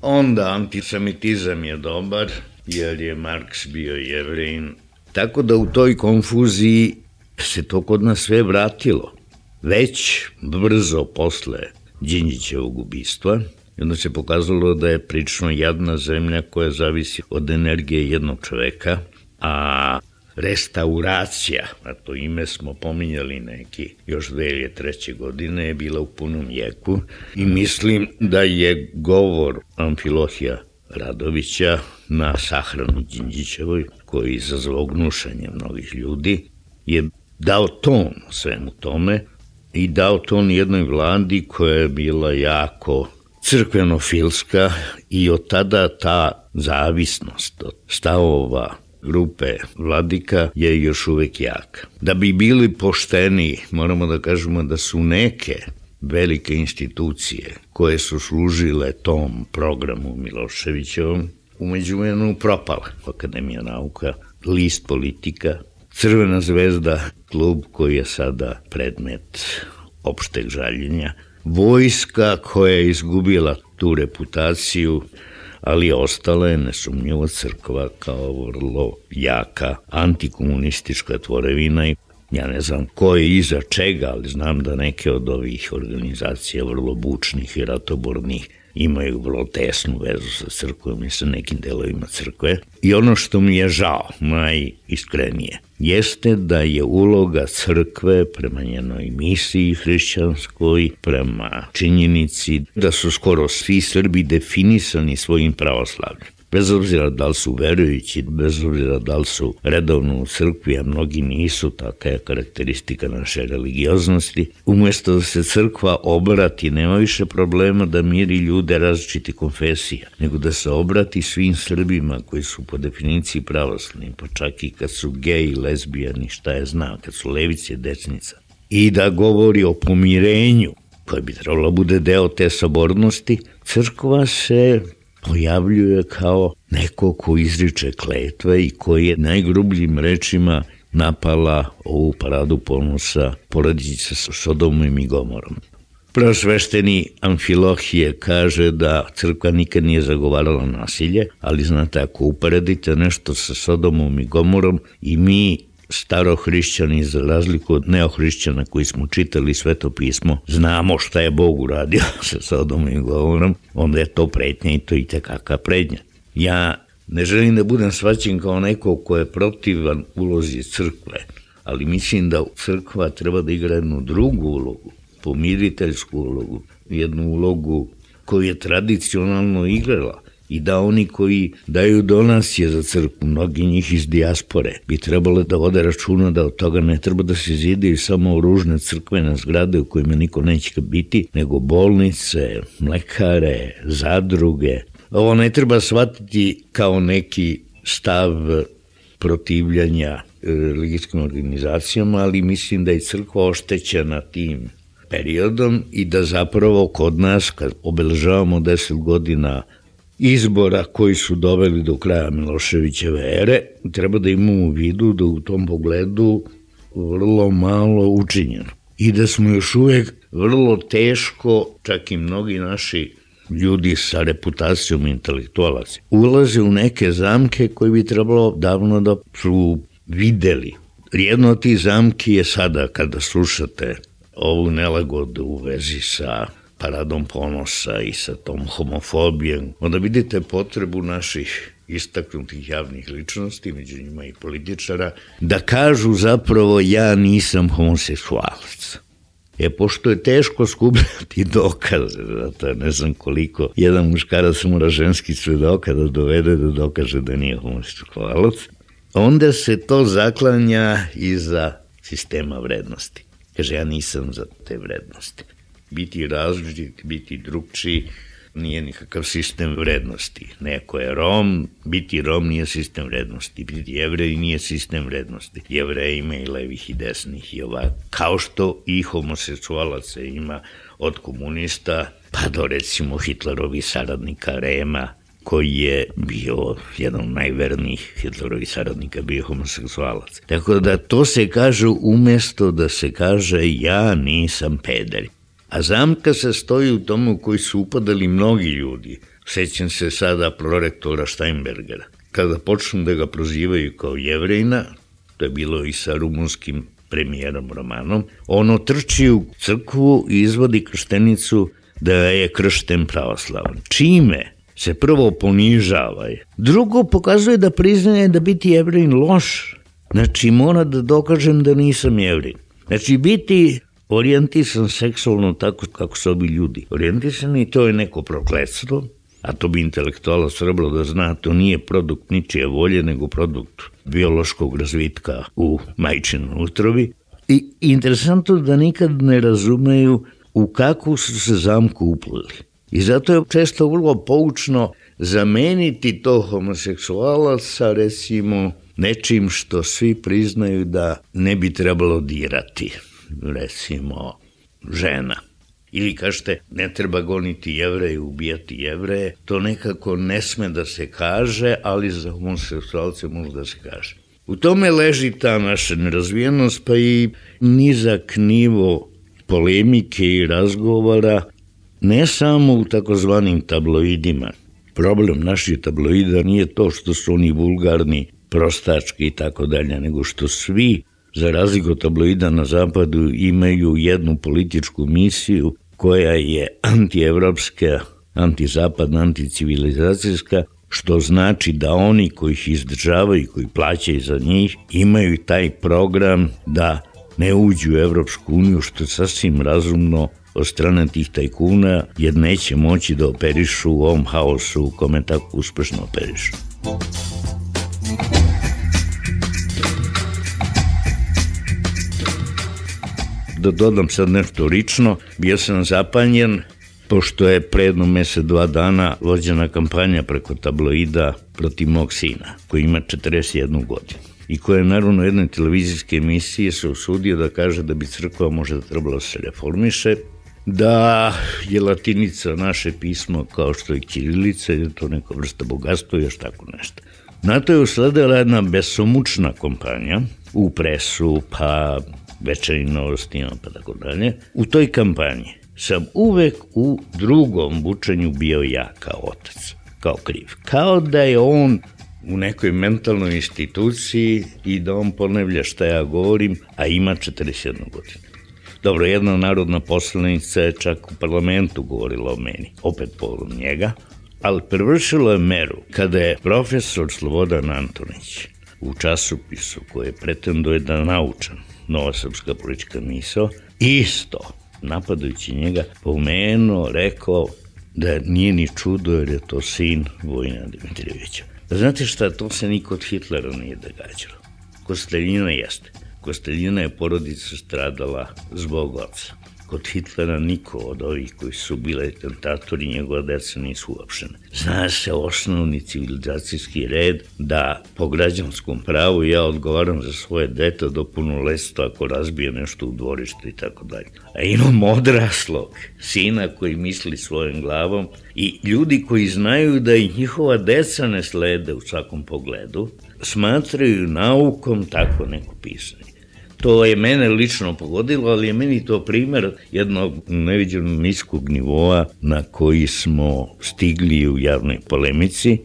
Onda antisemitizam je dobar, jer je Marks bio Jevrejin. Tako da u toj konfuziji se to kod nas sve vratilo. Već brzo posle Đinđićevog ubistva, i onda se pokazalo da je prilično jadna zemlja koja zavisi od energije jednog čoveka, a restauracija, a to ime smo pominjali neki još dve hiljade treće. godine, je bila u punom jeku i mislim da je govor Amfilohija Radovića na sahranu Đinđićevoj, koji je izazvao gnušanje mnogih ljudi, je dao ton svemu tome i dao ton jednoj vladi koja je bila jako crkvenofilska i od tada ta zavisnost od stavova grupe vladika je još uvek jaka. Da bi bili pošteni, moramo da kažemo da su neke velike institucije koje su služile tom programu Miloševićevom umeđuvremenu propale. Akademija nauka, list Politika, Crvena zvezda, klub koji je sada predmet opšteg žaljenja, vojska koja je izgubila tu reputaciju, ali ostala je nesumnjivo crkva kao vrlo jaka antikomunistička tvorevina. Ja ne znam ko je iza čega, ali znam da neke od ovih organizacija vrlo bučnih i ratobornih imaju vrlo tesnu vezu sa crkvom i sa nekim delovima crkve. I ono što mi je žao, najiskrenije, jeste da je uloga crkve prema njenoj misiji hrišćanskoj, prema činjenici da su skoro svi Srbi definisani svojim pravoslavljem. Bez obzira da li su verujući, bez obzira da li su redovno u crkvi, a mnogi nisu, taka je karakteristika naše religioznosti. Umjesto da se crkva obrati, nema više problema da miri ljude različiti konfesija, nego da se obrati svim Srbima koji su po definiciji pravoslavni, pa čak i kad su geji, lezbijani, šta je zna, kad su levice, desnica. I da govori o pomirenju, koji bi trebalo bude deo te sabornosti, crkva se pojavljuje kao neko ko izriče kletve i koji je najgrubljim rečima napala ovu paradu ponosa porodice sa Sodomom i Gomorom. Preosvešteni Amfilohije kaže da crkva nikad nije zagovarala nasilje, ali znate, ako uporedite nešto sa Sodomom i Gomorom i mi starohrišćani, za razliku od neohrišćana koji smo čitali Sveto pismo, znamo šta je Bog uradio sa Sodomom i Gomorom, onda je to pretnja i to i tekaka prednja. Ja ne želim da budem shvaćen kao neko ko je protivan ulozi crkve, ali mislim da crkva treba da igra jednu drugu ulogu, pomiriteljsku ulogu, jednu ulogu koju je tradicionalno igrala. I da oni koji daju donacije za crkvu, mnogi njih iz dijaspore, bi trebalo da vode računa da od toga ne treba da se zidaju samo ružne crkvene zgrade u kojima niko neće biti, nego bolnice, mlekare, zadruge. Ovo ne treba shvatiti kao neki stav protivljanja religijskim organizacijama, ali mislim da je crkva oštećena tim periodom i da zapravo kod nas, kad obeležavamo deset godina izbora koji su doveli do kraja Miloševićeve ere, treba da imamo u vidu da u tom pogledu vrlo malo učinjeno. I da smo još uvek vrlo teško, čak i mnogi naši ljudi sa reputacijom intelektualaca, ulaze u neke zamke koje bi trebalo davno da su videli. Jedno od tih zamki je sada kada slušate ovu nelagodu u vezi sa paradom ponosa i sa tom homofobijom, onda vidite potrebu naših istaknutih javnih ličnosti, među njima i političara, da kažu zapravo ja nisam homoseksualac. E, pošto je teško skupljati dokaze, zato ne znam koliko jedan muškarac mora ženski svedoka da dovede da dokaže da nije homoseksualac, onda se to zaklanja iza sistema vrednosti. Kaže, ja nisam za te vrednosti. Biti različit, biti drugčiji, nije nikakav sistem vrednosti. Neko je Rom, biti Rom nije sistem vrednosti, biti Jevrej nije sistem vrednosti. Jevrej ima i levih i desnih i ovak, kao što i homoseksualaca ima od komunista pa do recimo Hitlerovih saradnika Rema, koji je bio jedan od najvernijih Hitlerovih saradnika, bio homoseksualac. Tako da to se kaže umesto da se kaže ja nisam peder. A zamka se stoji u tomu u koji su upadali mnogi ljudi. Sećam se sada prorektora Steinbergera. Kada počnu da ga prozivaju kao Jevrejna, to je bilo i sa rumunskim premijerom Romanom, ono trči u crkvu i izvodi krštenicu da je kršten pravoslavan. Čime se prvo ponižava je. Drugo pokazuje da priznaje da biti Jevrejin loš. Znači mora da dokažem da nisam Jevrejin. Znači biti orijentisan seksualno tako kako su ovi ljudi orijentisani, to je neko prokletstvo, a to bi intelektualac trebalo da zna, to nije produkt ničije volje, nego produkt biološkog razvitka u majčinoj utrobi. I interesantno da nikad ne razumeju u kakvu su se zamku uplili. I zato je često vrlo poučno zameniti to homoseksualac sa recimo nečim što svi priznaju da ne bi trebalo dirati. Recimo žena. Ili kažete ne treba goniti Jevreje, ubijati Jevreje, to nekako ne sme da se kaže, ali za homoseksualce može da se kaže. U tome leži ta naša nerazvijenost, pa i nizak nivo polemike i razgovora, ne samo u takozvanim tabloidima. Problem naših tabloida nije to što su oni vulgarni, prostački i tako dalje, nego što svi za razliku od tabloida na zapadu, imaju jednu političku misiju koja je antievropska, antizapadna, anticivilizacijska, što znači da oni koji ih izdržavaju, koji plaćaju za njih, imaju taj program da ne uđu u Evropsku uniju, što je sasvim razumno od strane tih tajkuna, jer neće moći da operišu u ovom haosu u kome tako uspešno operišu. Da dodam sad nešto lično, bio sam zapanjen pošto je pre jedno mesec, dva dana vođena kampanja preko tabloida protiv mog sina, koji ima četrdeset jednu godinu i koja je naravno u jednoj televizijske emisiji se usudio da kaže da bi crkva možda trebalo se reformiše, da je latinica naše pismo kao što je ćirilica, je to neka vrsta bogatstva i još tako nešto. Na to je usledila jedna besomučna kampanja u presu, pa večernjim novostima, pa tako dalje. U toj kampanji sam uvek u drugom bučenju bio ja kao otac, kao kriv. Kao da je on u nekoj mentalnoj instituciji i da on ponavlja šta ja govorim, a ima četrdeset jednu godinu. Dobro, jedna narodna poslanica je čak u parlamentu govorila o meni, opet povodom njega, ali prevršilo je meru kada je profesor Slobodan Antonić u časopisu koji pretenduje da naučan Nova srpska politička misao, isto napadajući njega pomenuo, rekao da nije ni čudo jer je to sin Vojina Dimitrijevića. Znate šta, to se ni kod Hitlera nije događalo. Kod Staljina jeste. Kod Staljina je porodica stradala zbog oca. Kod Hitlera niko od ovih koji su bile tentatori, njegova deca nisu uopštene. Zna se osnovni civilizacijski red da po građanskom pravu ja odgovaram za svoje dete do punoletstva ako razbije nešto u dvorištu i tako dalje. A imam odraslog sina koji misli svojom glavom i ljudi koji znaju da i njihova deca ne slede u svakom pogledu, smatraju naukom tako neko pisanje. To je mene lično pogodilo, ali je meni to primer jednog neviđenog niskog nivoa na koji smo stigli u javnoj polemici.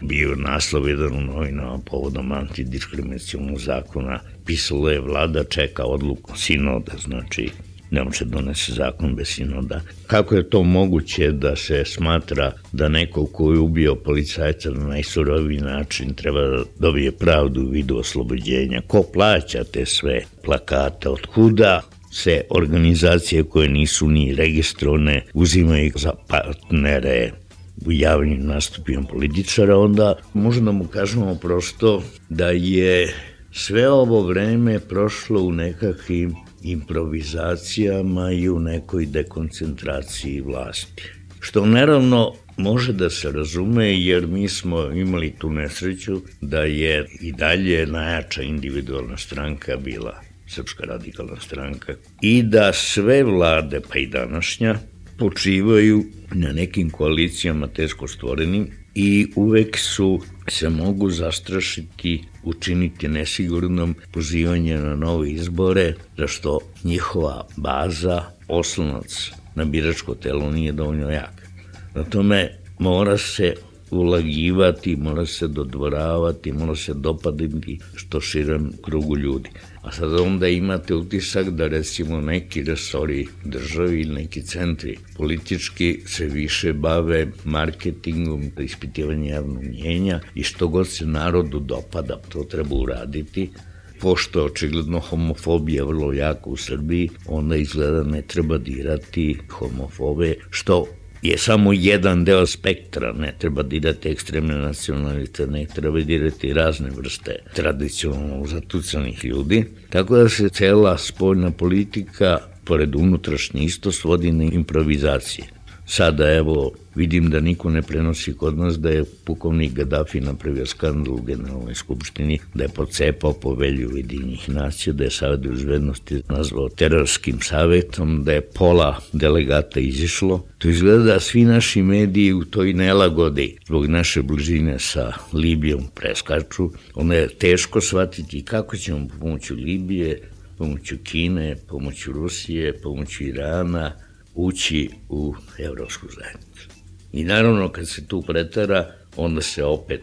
Bio naslov jedan u novinama povodom antidiskriminacionog zakona. Pisalo je vlada čeka odluku sinoda, znači ne može donese zakon bez sinoda. Kako je to moguće da se smatra da neko ko je ubio policajca na najsuroviji način treba da dobije pravdu u vidu oslobođenja? Ko plaća te sve plakate? Otkuda se organizacije koje nisu ni registrovane uzimaju za partnere u javnim nastupima političara? Onda možemo da mu kažemo prosto da je sve ovo vreme prošlo u nekakvim improvizacijama i u nekoj dekoncentraciji vlasti. Što naravno može da se razume jer mi smo imali tu nesreću da je i dalje najjača individualna stranka bila Srpska radikalna stranka i da sve vlade, pa i današnja, počivaju na nekim koalicijama teško stvorenim i uvek su se mogu zastrašiti, učiniti nesigurnom pozivanje na nove izbore, zašto njihova baza, oslonac na biračko telo nije dovoljno jak. Na tome mora se ulagivati, mora se dodvoravati, mora se dopaditi što širem krugu ljudi. A sad onda imate utisak da recimo neki resori državi ili neki centri politički se više bave marketingom, ispitivanjem javnog mnjenja i što god se narodu dopada, to treba uraditi. Pošto je očigledno homofobija vrlo jako u Srbiji, onda izgleda ne treba dirati homofobe, što je samo jedan deo spektra, ne treba dirati ekstremne nacionalite, ne treba dirati razne vrste tradicionalno zatucanih ljudi. Tako da se cela spoljna politika, pored unutrašnje, isto svodi na improvizacije. Sada evo vidim da niko ne prenosi kod nas da je pukovnik Gaddafi napravio skandal u Generalnoj skupštini, da je pocepao Povelju Ujedinjenih nacija, da je Savet bezbednosti nazvao terorskim savetom, da je pola delegata izišlo. To izgleda da svi naši mediji u toj nelagodi zbog naše bližine sa Libijom preskaču. Onda je teško shvatiti kako ćemo pomoću Libije, pomoću Kine, pomoću Rusije, pomoću Irana ući u Evropsku zajednicu. I naravno kad se tu pretara, onda se opet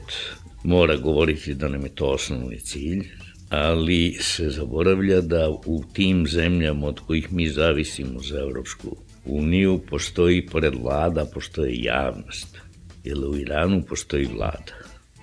mora govoriti da nam je to osnovni cilj, ali se zaboravlja da u tim zemljama od kojih mi zavisimo za Evropsku uniju postoji, pored vlada, postoji javnost. Jer u Iranu postoji vlada,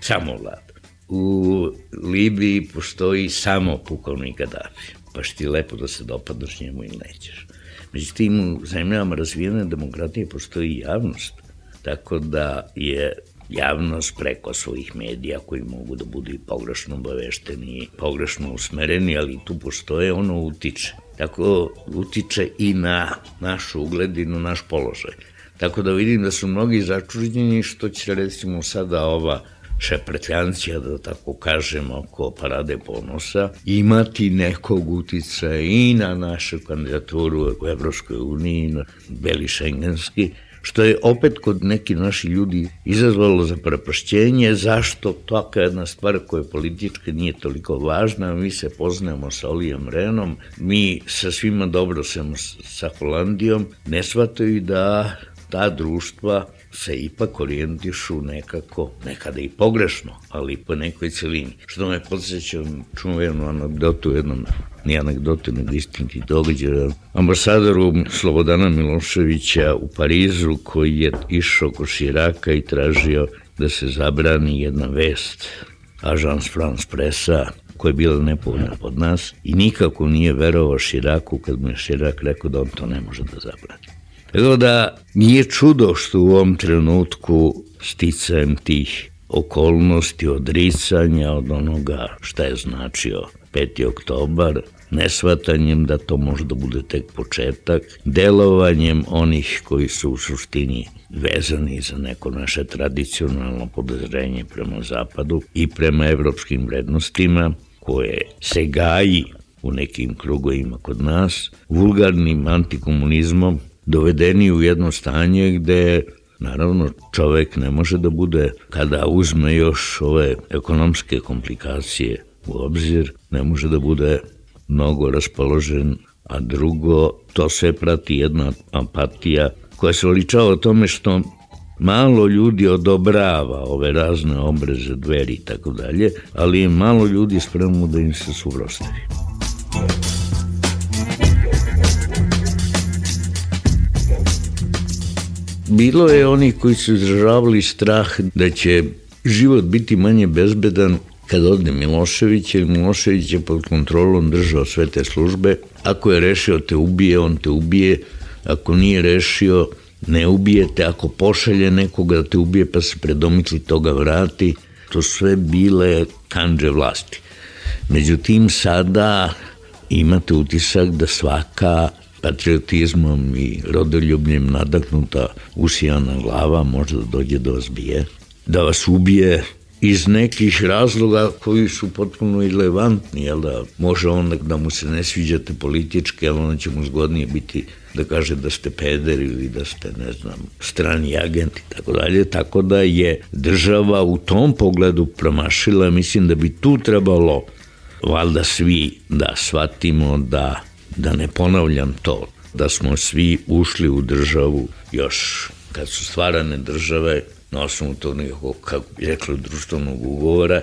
samo vlada. U Libiji postoji samo pukovnik Gaddafi, pa što ti lepo da se dopadneš njemu ili nećeš. Međutim, u zemljama razvijene demokratije postoji javnost, tako da je javnost preko svojih medija koji mogu da budu i pogrešno obavešteni, pogrešno usmereni, ali tu postoje, ono utiče. Tako utiče i na naš ugled i na naš položaj. Tako da vidim da su mnogi začuđeni što će recimo sada ova šeprtljancija, da tako kažem, oko parade ponosa, imati nekog uticaja i na našu kandidaturu u Evropskoj uniji, na beli šengenski, što je opet kod neki naši ljudi izazvalo zaprepašćenje, zašto taka jedna stvar koja politička nije toliko važna, mi se poznajemo sa Olijem Renom, mi sa svima dobro sam sa Holandijom, ne shvataju da ta društva se ipak orijentišu nekako, nekada i pogrešno, ali po nekoj celini. Što me podsjeća čuvenu anegdotu, jednom, nije anegdotu, nego istiniti događaj, ambasadoru Slobodana Miloševića u Parizu, koji je išao kod Širaka i tražio da se zabrani jedna vest Agence France Pressa, koja je bila nepovoljna pod nas, i nikako nije verovao Širaku kad mu je Širak rekao da on to ne može da zabrani. Tako da nije čudo što u ovom trenutku sticajem tih okolnosti, odricanja od onoga šta je značio peti oktobar, nesvatanjem da to može da bude tek početak, delovanjem onih koji su u suštini vezani za neko naše tradicionalno podozrenje prema Zapadu i prema evropskim vrednostima koje se gaji u nekim krugovima kod nas, vulgarnim antikomunizmom, dovedeni u jedno stanje gde, naravno, čovek ne može da bude, kada uzme još ove ekonomske komplikacije u obzir, ne može da bude mnogo raspoložen, a drugo, to sve prati jedna apatija koja se oličava o tome što malo ljudi odobrava ove razne obreze, dveri i tako dalje, ali je malo ljudi spremno da im se suprotstavi. Bilo je oni koji su izražavali strah da će život biti manje bezbedan kad ode Milošević, jer Milošević je pod kontrolom držao sve te službe. Ako je rešio te ubije, on te ubije. Ako nije rešio, ne ubijete. Ako pošalje nekoga da te ubije pa se predomitli toga vrati, to sve bile kandže vlasti. Međutim, sada imate utisak da svaka patriotizmom i rodoljubljem nadahnuta usijana glava može da dođe da vas bije, da vas ubije iz nekih razloga koji su potpuno irelevantni, jel da može onda da mu se ne sviđate politički, ali onda će mu zgodnije biti da kaže da ste peder ili da ste, ne znam, strani agent i tako dalje, tako da je država u tom pogledu promašila. Mislim da bi tu trebalo valjda svi da shvatimo da da ne ponavljam to, da smo svi ušli u državu još kad su stvarane države, na osnovu tog nekog, kako bi rekli, društvenog ugovora,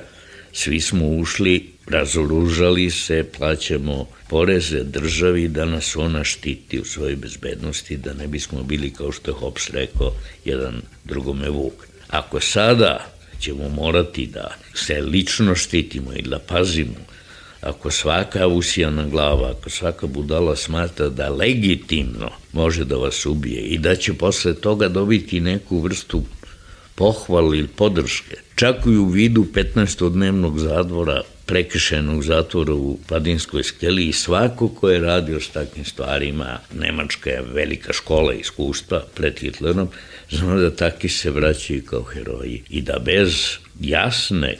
svi smo ušli, razoružali se, plaćamo poreze državi da nas ona štiti u svojoj bezbednosti, da ne bismo bili, kao što je Hobbes rekao, jedan drugome vuk. Ako sada ćemo morati da se lično štitimo i da pazimo, ako svaka usijana glava, ako svaka budala smatra da legitimno može da vas ubije i da će posle toga dobiti neku vrstu pohvale ili podrške, čak i u vidu petnaestodnevnog zatvora, prekršajnog zatvora u Padinskoj skeli, i svako ko je radio s takvim stvarima, Nemačka je velika škola iskustva pred Hitlerom, znamo da taki se vraćaju kao heroji i da bez jasnog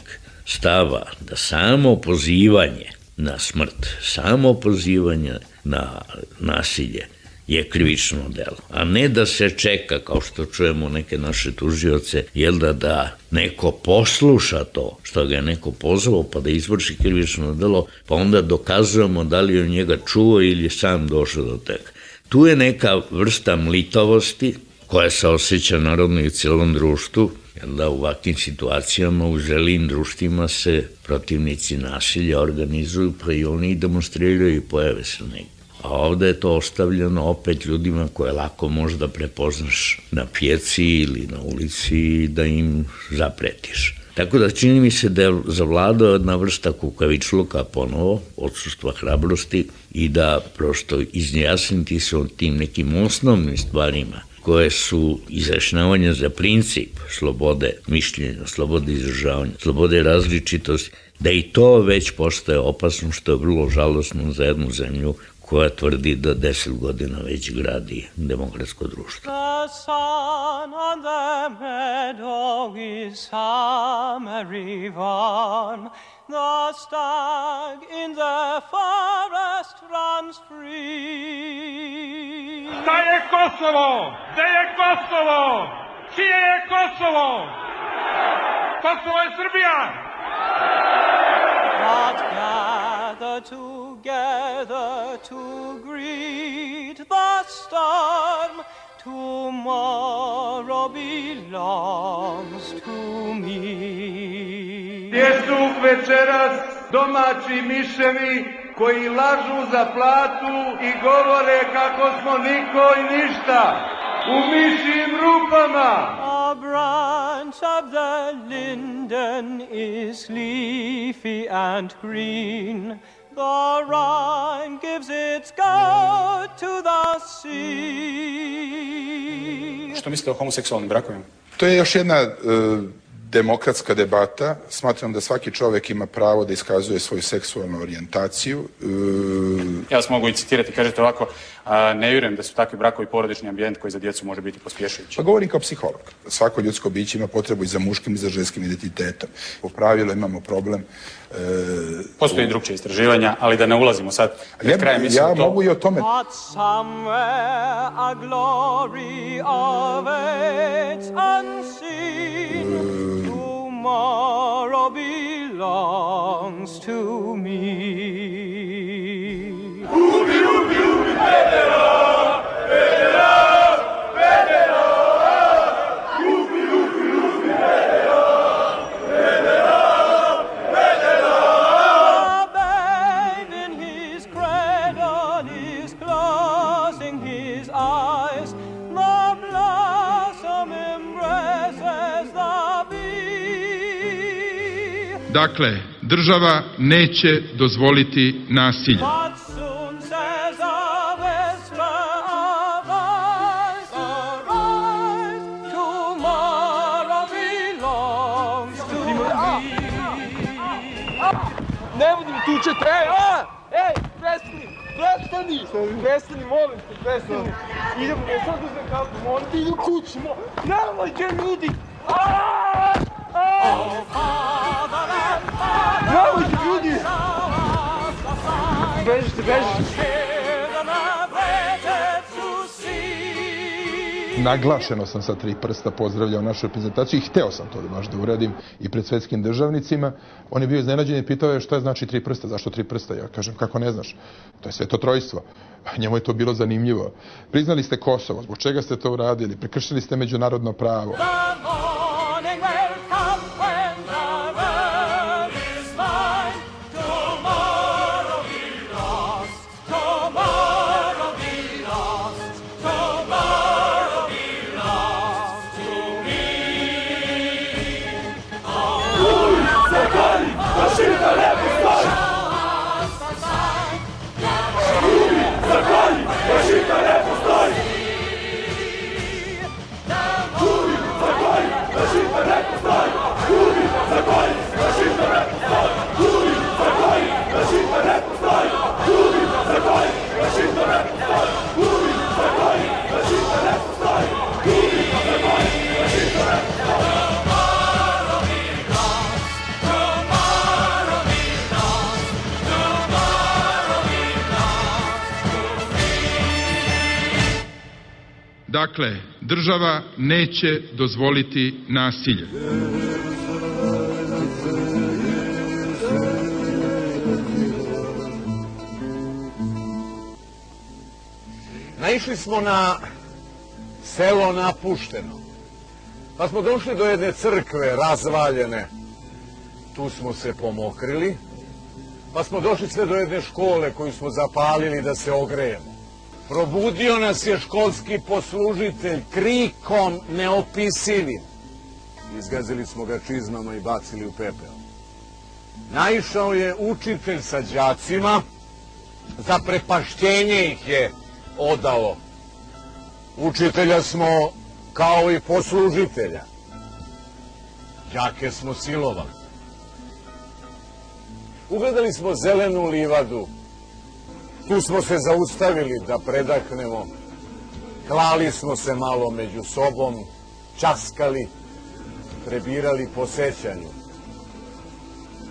stava da samo pozivanje na smrt, samo pozivanje na nasilje je krivično delo, a ne da se čeka, kao što čujemo neke naše tužioce, jel da da neko posluša to što ga je neko pozvao pa da izvrši krivično delo, pa onda dokazujemo da li je njega čuo ili je sam došao do tega. Tu je neka vrsta mlitavosti koja se osjeća naravno i u cijelom društvu, Da u ovakvim situacijama u zrelim društvima se protivnici nasilja organizuju, pa i oni demonstriraju i pojave se negdje. A ovde je to ostavljeno opet ljudima koje lako možda prepoznaš na pijaci ili na ulici i da im zapretiš. Tako da čini mi se da je zavladao jedna vrsta kukavičluka ponovo, odsustva hrabrosti i da prosto izjasniti se o tim nekim osnovnim stvarima koje su izjašnjavanja za princip slobode mišljenja, slobode izražavanja, slobode različitosti, da i to već postaje opasno, što je vrlo žalosno za jednu zemlju koja tvrdi da deset godina već gradi demokratsko društvo. The sun on the meadow is summery one, the stag in the forest runs free. Šta je Kosovo? Gde je Kosovo? Čije je Kosovo? Kosovo je Srbija! But gather together to greet the storm, tomorrow belongs to me. Gdje su večeras domaći miševi koji lažu za platu i govore kako smo niko i ništa u mišijim rupama? A branch of the linden is leafy and green. The Rhine gives its gold to the sea. Što mislite o homoseksualnim brakovima? To je još jedna uh, demokratska debata. Smatram da svaki čovek ima pravo da iskazuje svoju seksualnu orijentaciju. Uh, ja vas mogu i citirati, kažete ovako, a, ne vjerujem da su takvi brakovi porodični ambijent koji za djecu može biti pospješujući. Pa govorim kao psiholog. Svako ljudsko biće ima potrebu i za muškim i za ženskim identitetom. Po pravilu imamo problem. Uh, Postoji i drugčije istraživanja, ali da ne ulazimo sad. Ja, krajem, ja to... mogu i o tome. But somewhere a glory awaits unseen. Uh, Tomorrow belongs to me. Ubi, ubi, ubi, Federa! Federa! Federa! Ubi, ubi, ubi, Federa! Federa! Federa! The babe in his cradle is closing his eyes. The blossom embraces the Dakle, država neće dozvoliti nasilje. Ne budu mi tučete, ej, a, ej, prestani, prestani, prestani, molim te, prestani. Idemo, ne sad uzem kapu, molim te, idem kući, molim, nemojte ljudi, aaaa, nemojte ljudi, bežite, bežite. Naglašeno sam sa tri prsta pozdravljao našu reprezentaciju i hteo sam to da baš da uradim i pred svetskim državnicima. On je bio iznenađen i pitao je šta je znači tri prsta, zašto tri prsta? Ja kažem, kako ne znaš? To je sveto trojstvo. Njemu je to bilo zanimljivo. Priznali ste Kosovo, zbog čega ste to uradili? Prekršili ste međunarodno pravo. Dakle, država neće dozvoliti nasilje. Naišli smo na selo napušteno. Pa smo došli do jedne crkve razvaljene. Tu smo se pomokrili. Pa smo došli sve do jedne škole koju smo zapalili da se ogrejemo. Probudio nas je školski poslužitelj krikom neopisivim. Izgazili smo ga čizmama i bacili u pepeo. Naišao je učitelj sa đacima, zaprepašćenje ih je odalo. Učitelja smo kao i poslužitelja. Đake smo silovali. Ugledali smo zelenu livadu. Tu smo se zaustavili da predahnemo. Klali smo se malo među sobom, časkali, prebirali po sećanju.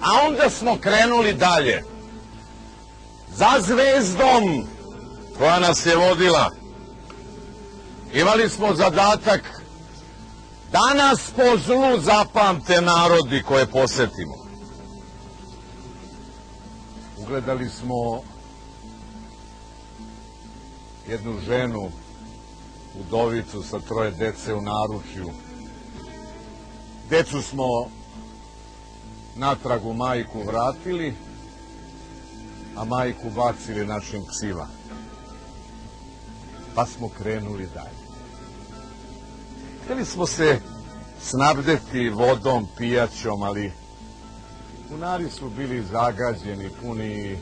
A onda smo krenuli dalje. Za zvezdom koja nas je vodila. Imali smo zadatak da nas po zlu zapamte narodi koje posetimo. Ugledali smo jednu ženu, udovicu sa troje dece u naručju. Decu smo natrag u majku vratili, a majku bacili našim psima. Pa smo krenuli dalje. Htjeli smo se snabdeti vodom, pijaćom, ali bunari su bili zagađeni, puni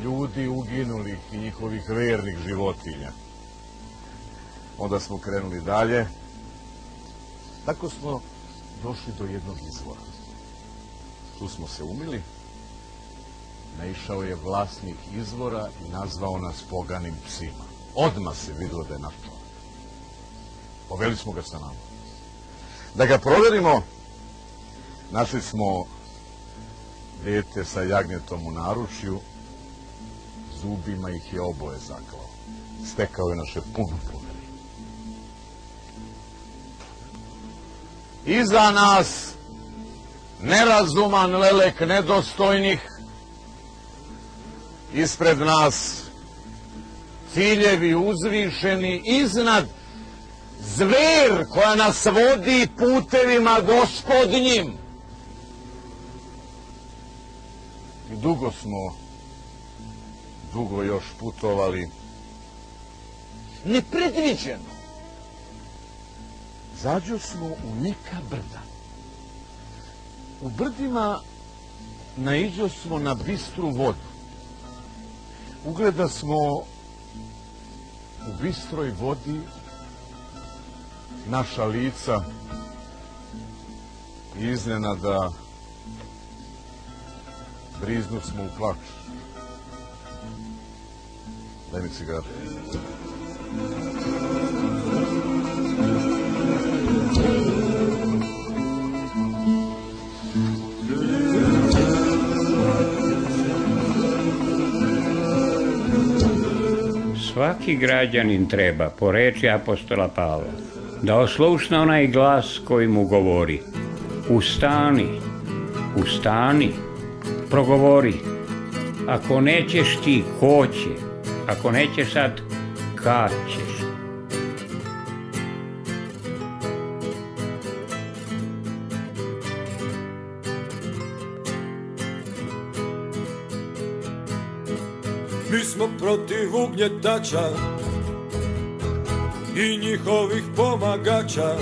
ljudi uginulih i njihovih vernih životinja. Onda smo krenuli dalje. Tako smo došli do jednog izvora. Tu smo se umili. Naišao je vlasnik izvora i nazvao nas poganim psima. Odmah se videlo da je naš čovjek. Poveli smo ga sa nama. Da ga proverimo, našli smo dete sa jagnjetom u naručju, zubima ih je oboje zaklao. Stekao je naše puno poverenje. Iza nas nerazuman lelek nedostojnih, ispred nas ciljevi uzvišeni, iznad zver koja nas vodi putevima gospodnjim. I dugo smo, dugo još putovali. Nepredviđeno. Zađo smo u neka brda. U brdima naiđo smo na bistru vodu. Ugleda smo u bistroj vodi naša lica i iznenada briznu smo u plač. Daj mi cigaru. Svaki građanin treba, po reči apostola Pavla, da oslušne onaj glas koji mu govori: ustani, ustani, progovori. Ako nećeš ti, ko će? Ako nećeš sad, kad ćeš? Mi smo protiv ugnjetača i njihovih pomagača,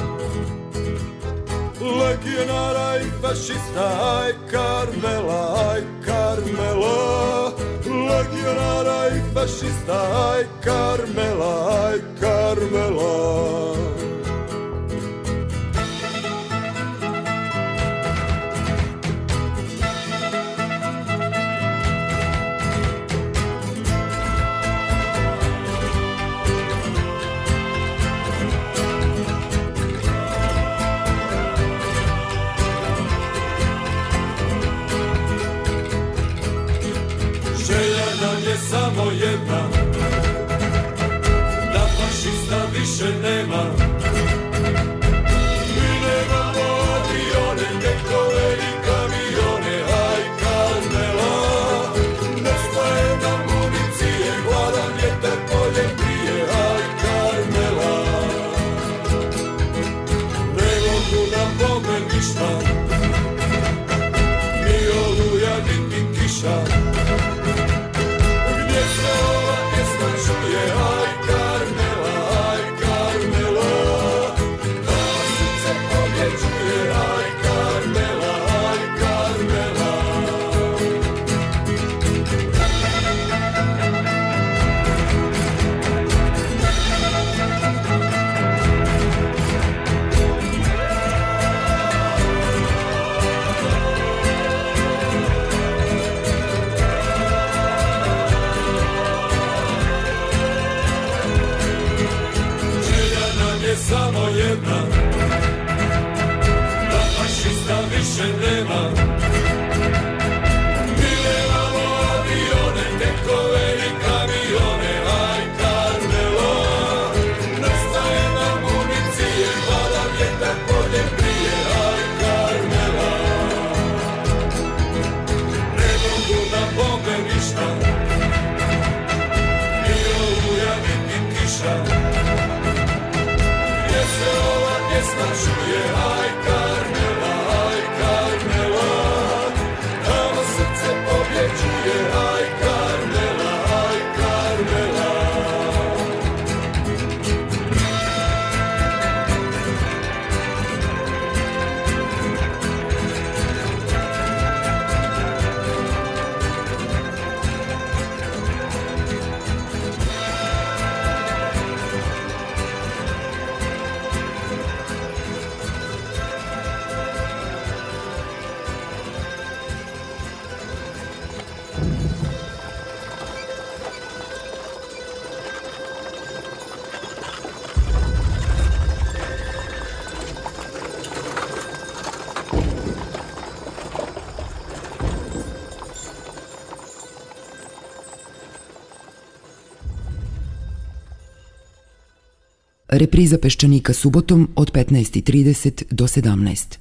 legionara i fašista, aj Karmela, aj Karmela, legionara i fašista, aj Karmela, aj Karmela. Samo jedna, da fašista više nema. Mi nemamo avione, tenkove i kamione, aj Karmela. Nestaje nam municije, gladan vjetar polje prije, aj Karmela. Nego samo jedna, da fašista više nema. Mi nemamo avione, tenkove i kamione, aj Karmelo, nestaje nam municije, pada vjetar polje prije, aj Karmela. Ne mogu na bombe ništa, ni oluja niti kiša, gdje se ova pjesma čuje, aj Karmela, aj Karmela, tamo srce pobjeđuje, aj Karmela, aj Karmela. Repriza Peščanika subotom od petnaest i trideset do sedamnaest.